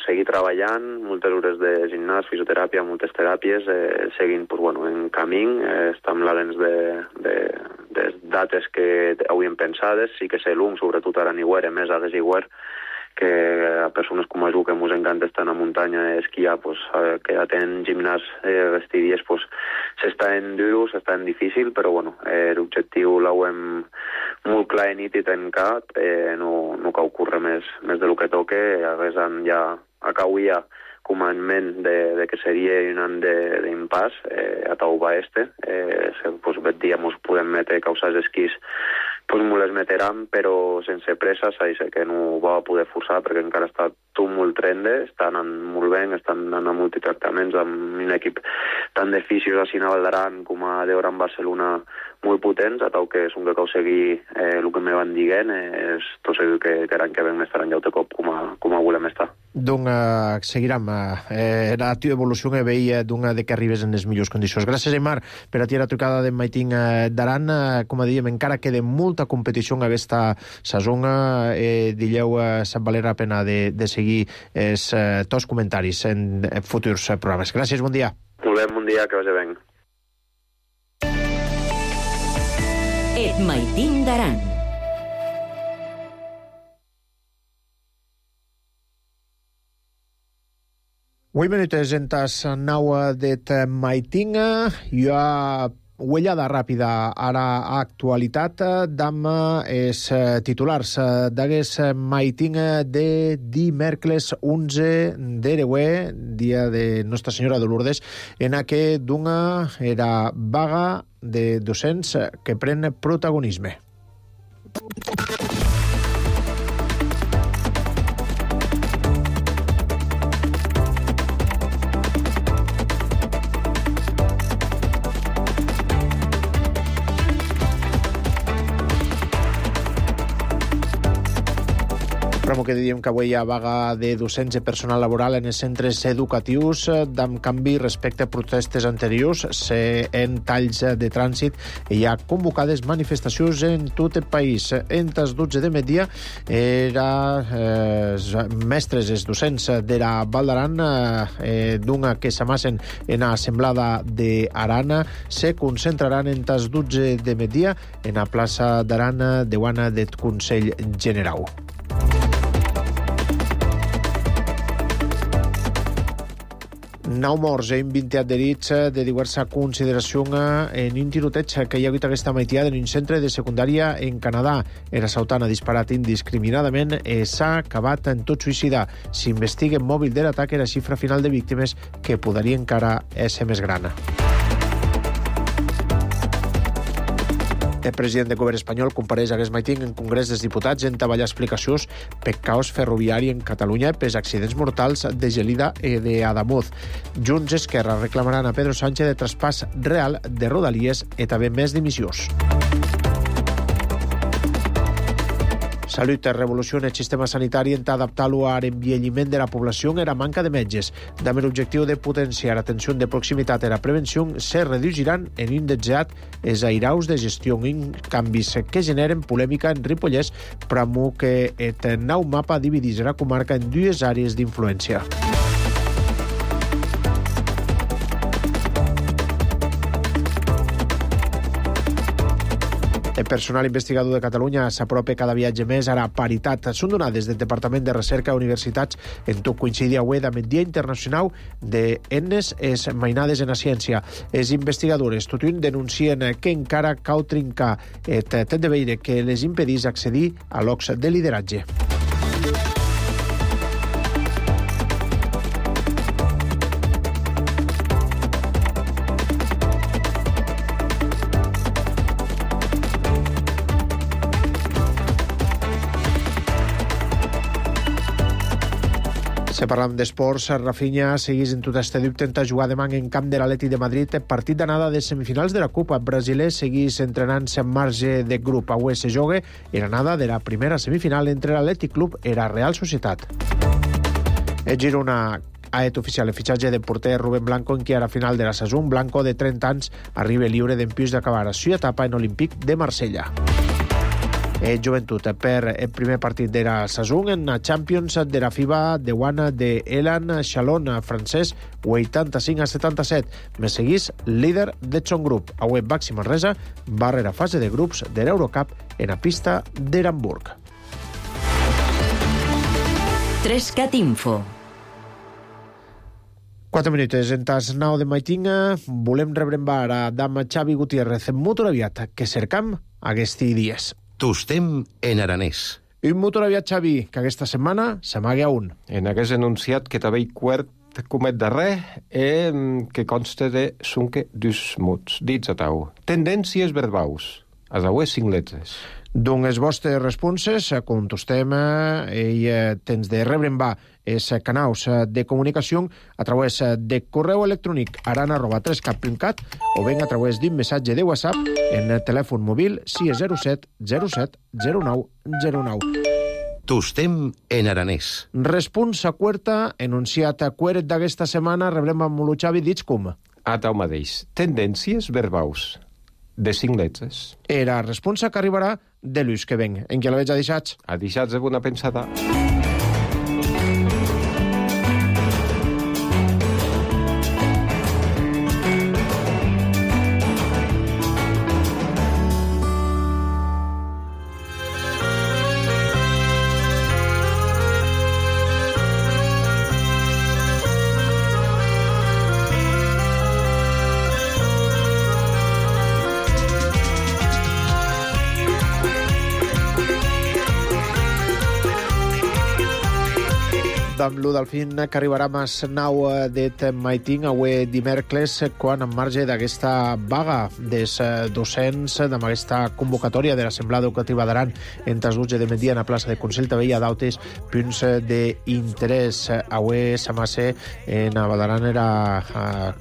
Speaker 10: seguir treballant, moltes hores de gimnàs, fisioteràpia, moltes teràpies, seguint en camí, estem lalents de dates que hauríem pensades, sí que sé l'un, sobretot ara en Iguer, més a Desiguer, que a persones com a jo que ens encanta estar a la muntanya i esquiar, que ja tenen gimnàs aquests dies, s'està en duros, s'està en difícil, però l'objectiu l'hauem molt clar i nítid tancat, no cal ocórrer més del que toque, a vegades ja acauia com a en ment de que seria un any d'impàs a Tauba Este. Bet dia ens podem metre causar esquís, ens les meteram, però sense pressa, que no ho va poder forçar perquè encara està tot molt trende, està anant molt bé, estan anant a multitractaments amb un equip tant de fisios a Sina Valdaran com a d'Hora en Barcelona molt potents, a Tau que són que cal seguir el que me van dient, és tot segur que l'any que ven estaran ja de cop com a volem estar.
Speaker 2: Doncs seguirem la teva evolució que veia de que arribes en les millors condicions. Gràcies, Aimar, per a ti la trucada de Maitín d'Aran. Com dèiem, encara queda molta competició en aquesta saison. Dilleu, se'n valerà la pena de seguir els tots comentaris en futurs programes. Gràcies, bon dia.
Speaker 10: Molt bé, bon dia, que vagi bé.
Speaker 1: Et Maitín d'Aran.
Speaker 2: Avui minutes entas naua det Maitín. Jo uellada ràpida a l'actualitat d'am els titulars d'aguest Maitín de dimèrcles 11 d'Ereuer, dia de Nostra Senyora de Lourdes, en què d'una era vaga de docents que pren protagonisme. Però que diem que avui hi ha vaga de docents i personal laboral en els centres educatius, d'en canvi respecte a protestes anteriors, en talls de trànsit hi ha convocades manifestacions en tot el país. Entre els 12 de migdia mestres, els docents de la Val d'Aran, d'una que s'amassen en l'assemblada d'Aran, se concentraran entre els 12 de migdia en la plaça d'Aran de Guana del Consell General. 9 morts i 20 adherits de diversa consideració en un tiroteig que hi ha hagut aquesta meitada en un centre de secundària en Canadà. Era Sautan ha disparat indiscriminadament i s'ha acabat en tot suïcida. S'investiga en mòbil de l'atac i la xifra final de víctimes que podria encara ser més gran. El president del govern espanyol compareix aquest matí en Congrés dels Diputats en treballar explicacions per caos ferroviari en Catalunya pels accidents mortals de Gelida i d'Adamuz. Junts i Esquerra reclamaran a Pedro Sánchez de traspàs real de Rodalies i també més dimissions. Salut revoluciona el sistema sanitari en adaptar-lo a l'envelliment de la població i a la manca de metges. Amb l'objectiu de potenciar l'atenció de proximitat i la prevenció, se reduiran en indexat els airaus de gestió en canvis que generen polèmica en Ripollès, però que el nou mapa divideix la comarca en dues àrees d'influència. El personal investigador de Catalunya s'apropa cada viatge més a la paritat. Són donades del Departament de Recerca i Universitats en tot coincidir avui amb el Dia Internacional d'Ennes es mainades en la ciència. Els investigadors Tutun denuncien que encara cal trincar el tet de veire que les impedís accedir a llocs de lideratge. Si parlam d'esports, Rafinha segueix en tot este dubte en jugar demà en camp de l'Atlètic de Madrid. Partit d'anada de semifinals de la Copa. Brasiler segueix entrenant-se en marge de grup. Avui se joga en l'anada de la primera semifinal entre l'Atlètic Club i la Real Societat. El Girona ha fet oficial el fitxatge del porter Rubén Blanco en qui a la final de la saison. Blanco, de 30 anys, arriba lliure d'empús d'acabar la seva etapa en Olímpic de Marsella. Joventut per el primer partit de la saison en la Champions de la FIBA de Guana de Elan Chalon francès 85-77. Me seguís líder de Chong Group. Avui Baxi Manresa barrera fase de grups de l'Eurocup en la pista d'Hamburg.
Speaker 1: 3CAT Info.
Speaker 2: 4 minuts. En tas 9 de maitinga volem rebrembar a dama Xavi Gutiérrez en motoraviat que cercam aquests dies.
Speaker 11: Tostem en aranès.
Speaker 2: Un motoraviat, Xavi, que aquesta setmana s'amaga un.
Speaker 12: En aquest enunciat que també quart comet darrer que consta de sunque dus mots. Dits a tau. Tendències verbaus. A daues 5 letres.
Speaker 2: Doncs les vostres responses contestem i tens de rebrembar els canals de comunicació a través de correu electrònic aran@3cat.cat o ben a través d'un missatge de WhatsApp en el telèfon mòbil 607 07 09 09.
Speaker 11: Tostem en aranès.
Speaker 2: Responsa quarta, enunciat queret d'aquesta setmana, rebrem amb lo Xavi, dits com?
Speaker 12: A tau mateix. Tendències verbaus. De 5 letres.
Speaker 2: Era responsa que arribarà de l'ús que ven. En què la veig a deixats?
Speaker 12: A deixats de bona pensada.
Speaker 2: Amb lo del fin que arribarà a les 9 de maiting, avui dimecres, quan en marge d'aquesta vaga dels docents, amb aquesta convocatòria de l'Assemblea Educativa d'Aran entre els 12 de migdia en la plaça de Consell, també hi ha d'altres punts d'interès. Avui s'amassa en Badaran era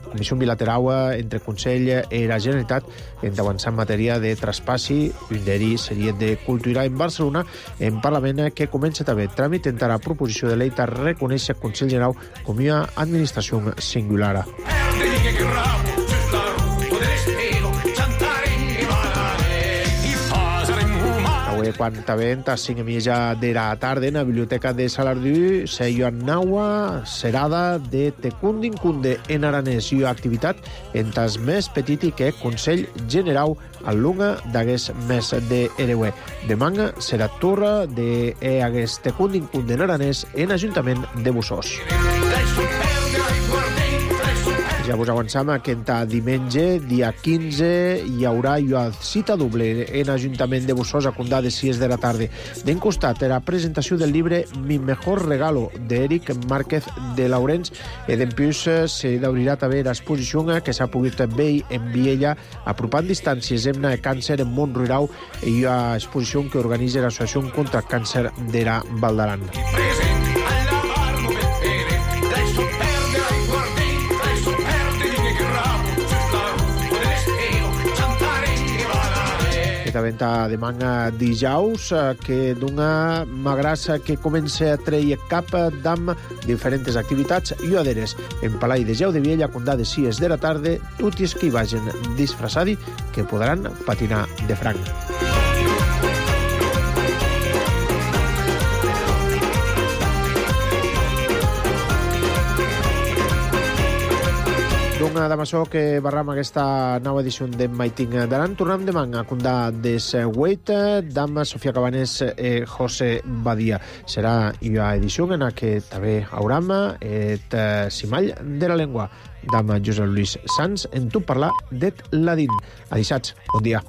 Speaker 2: comissió bilateral entre Consell i la Generalitat en d'avançar en matèria de traspassi, un d'ells seria de cultura en Barcelona, en Parlament que comença també tràmit entre la proposició de llei reconèixer el Consell General com una administració singular. Avui, quan t'avent a 5:30 de la tarda en la biblioteca de Salardú, se Joan Naua, serada de Tecundin-Cunde en aranès i activitat en tas més petit i que Consell General al lunga d'hagués més de Ereue. Demà serà torre de hagués Tecundin-Cunde en aranès en Ajuntament de Bussós. Ja vos avançam que diumenge, dia 15, hi haurà cita doble en Ajuntament de Bussols a Condà de 6 de la tarda. D'en costat, la presentació del llibre Mi mejor regalo, d'Eric Márquez de Laurens, i d'empius s'obrirà també l'exposició que s'ha pogut veure en Viella, apropant distàncies amb el càncer en Mont-Ruirau, i hi ha exposició que organitza l'Associació contra el Càncer de la Val d'Aran. Venta de manga dijous, que d'una magrassa que comença a treure cap d'am diferents activitats lloaderes. En Palai de Jau de Viella, Condà de 6 de la tarda, tots els que hi vagin disfressats que podran patinar de franc. Doncs amb això que barram aquesta nova edició de Maiting d'Aran. Tornem demà a Condà des 8 d'am Sofia Cabanés i José Badia. Serà una edició en la que també hauram et Simall de la Llengua d'am Josep Luis Sans en tu parlar det ladín. Adissats, bon dia.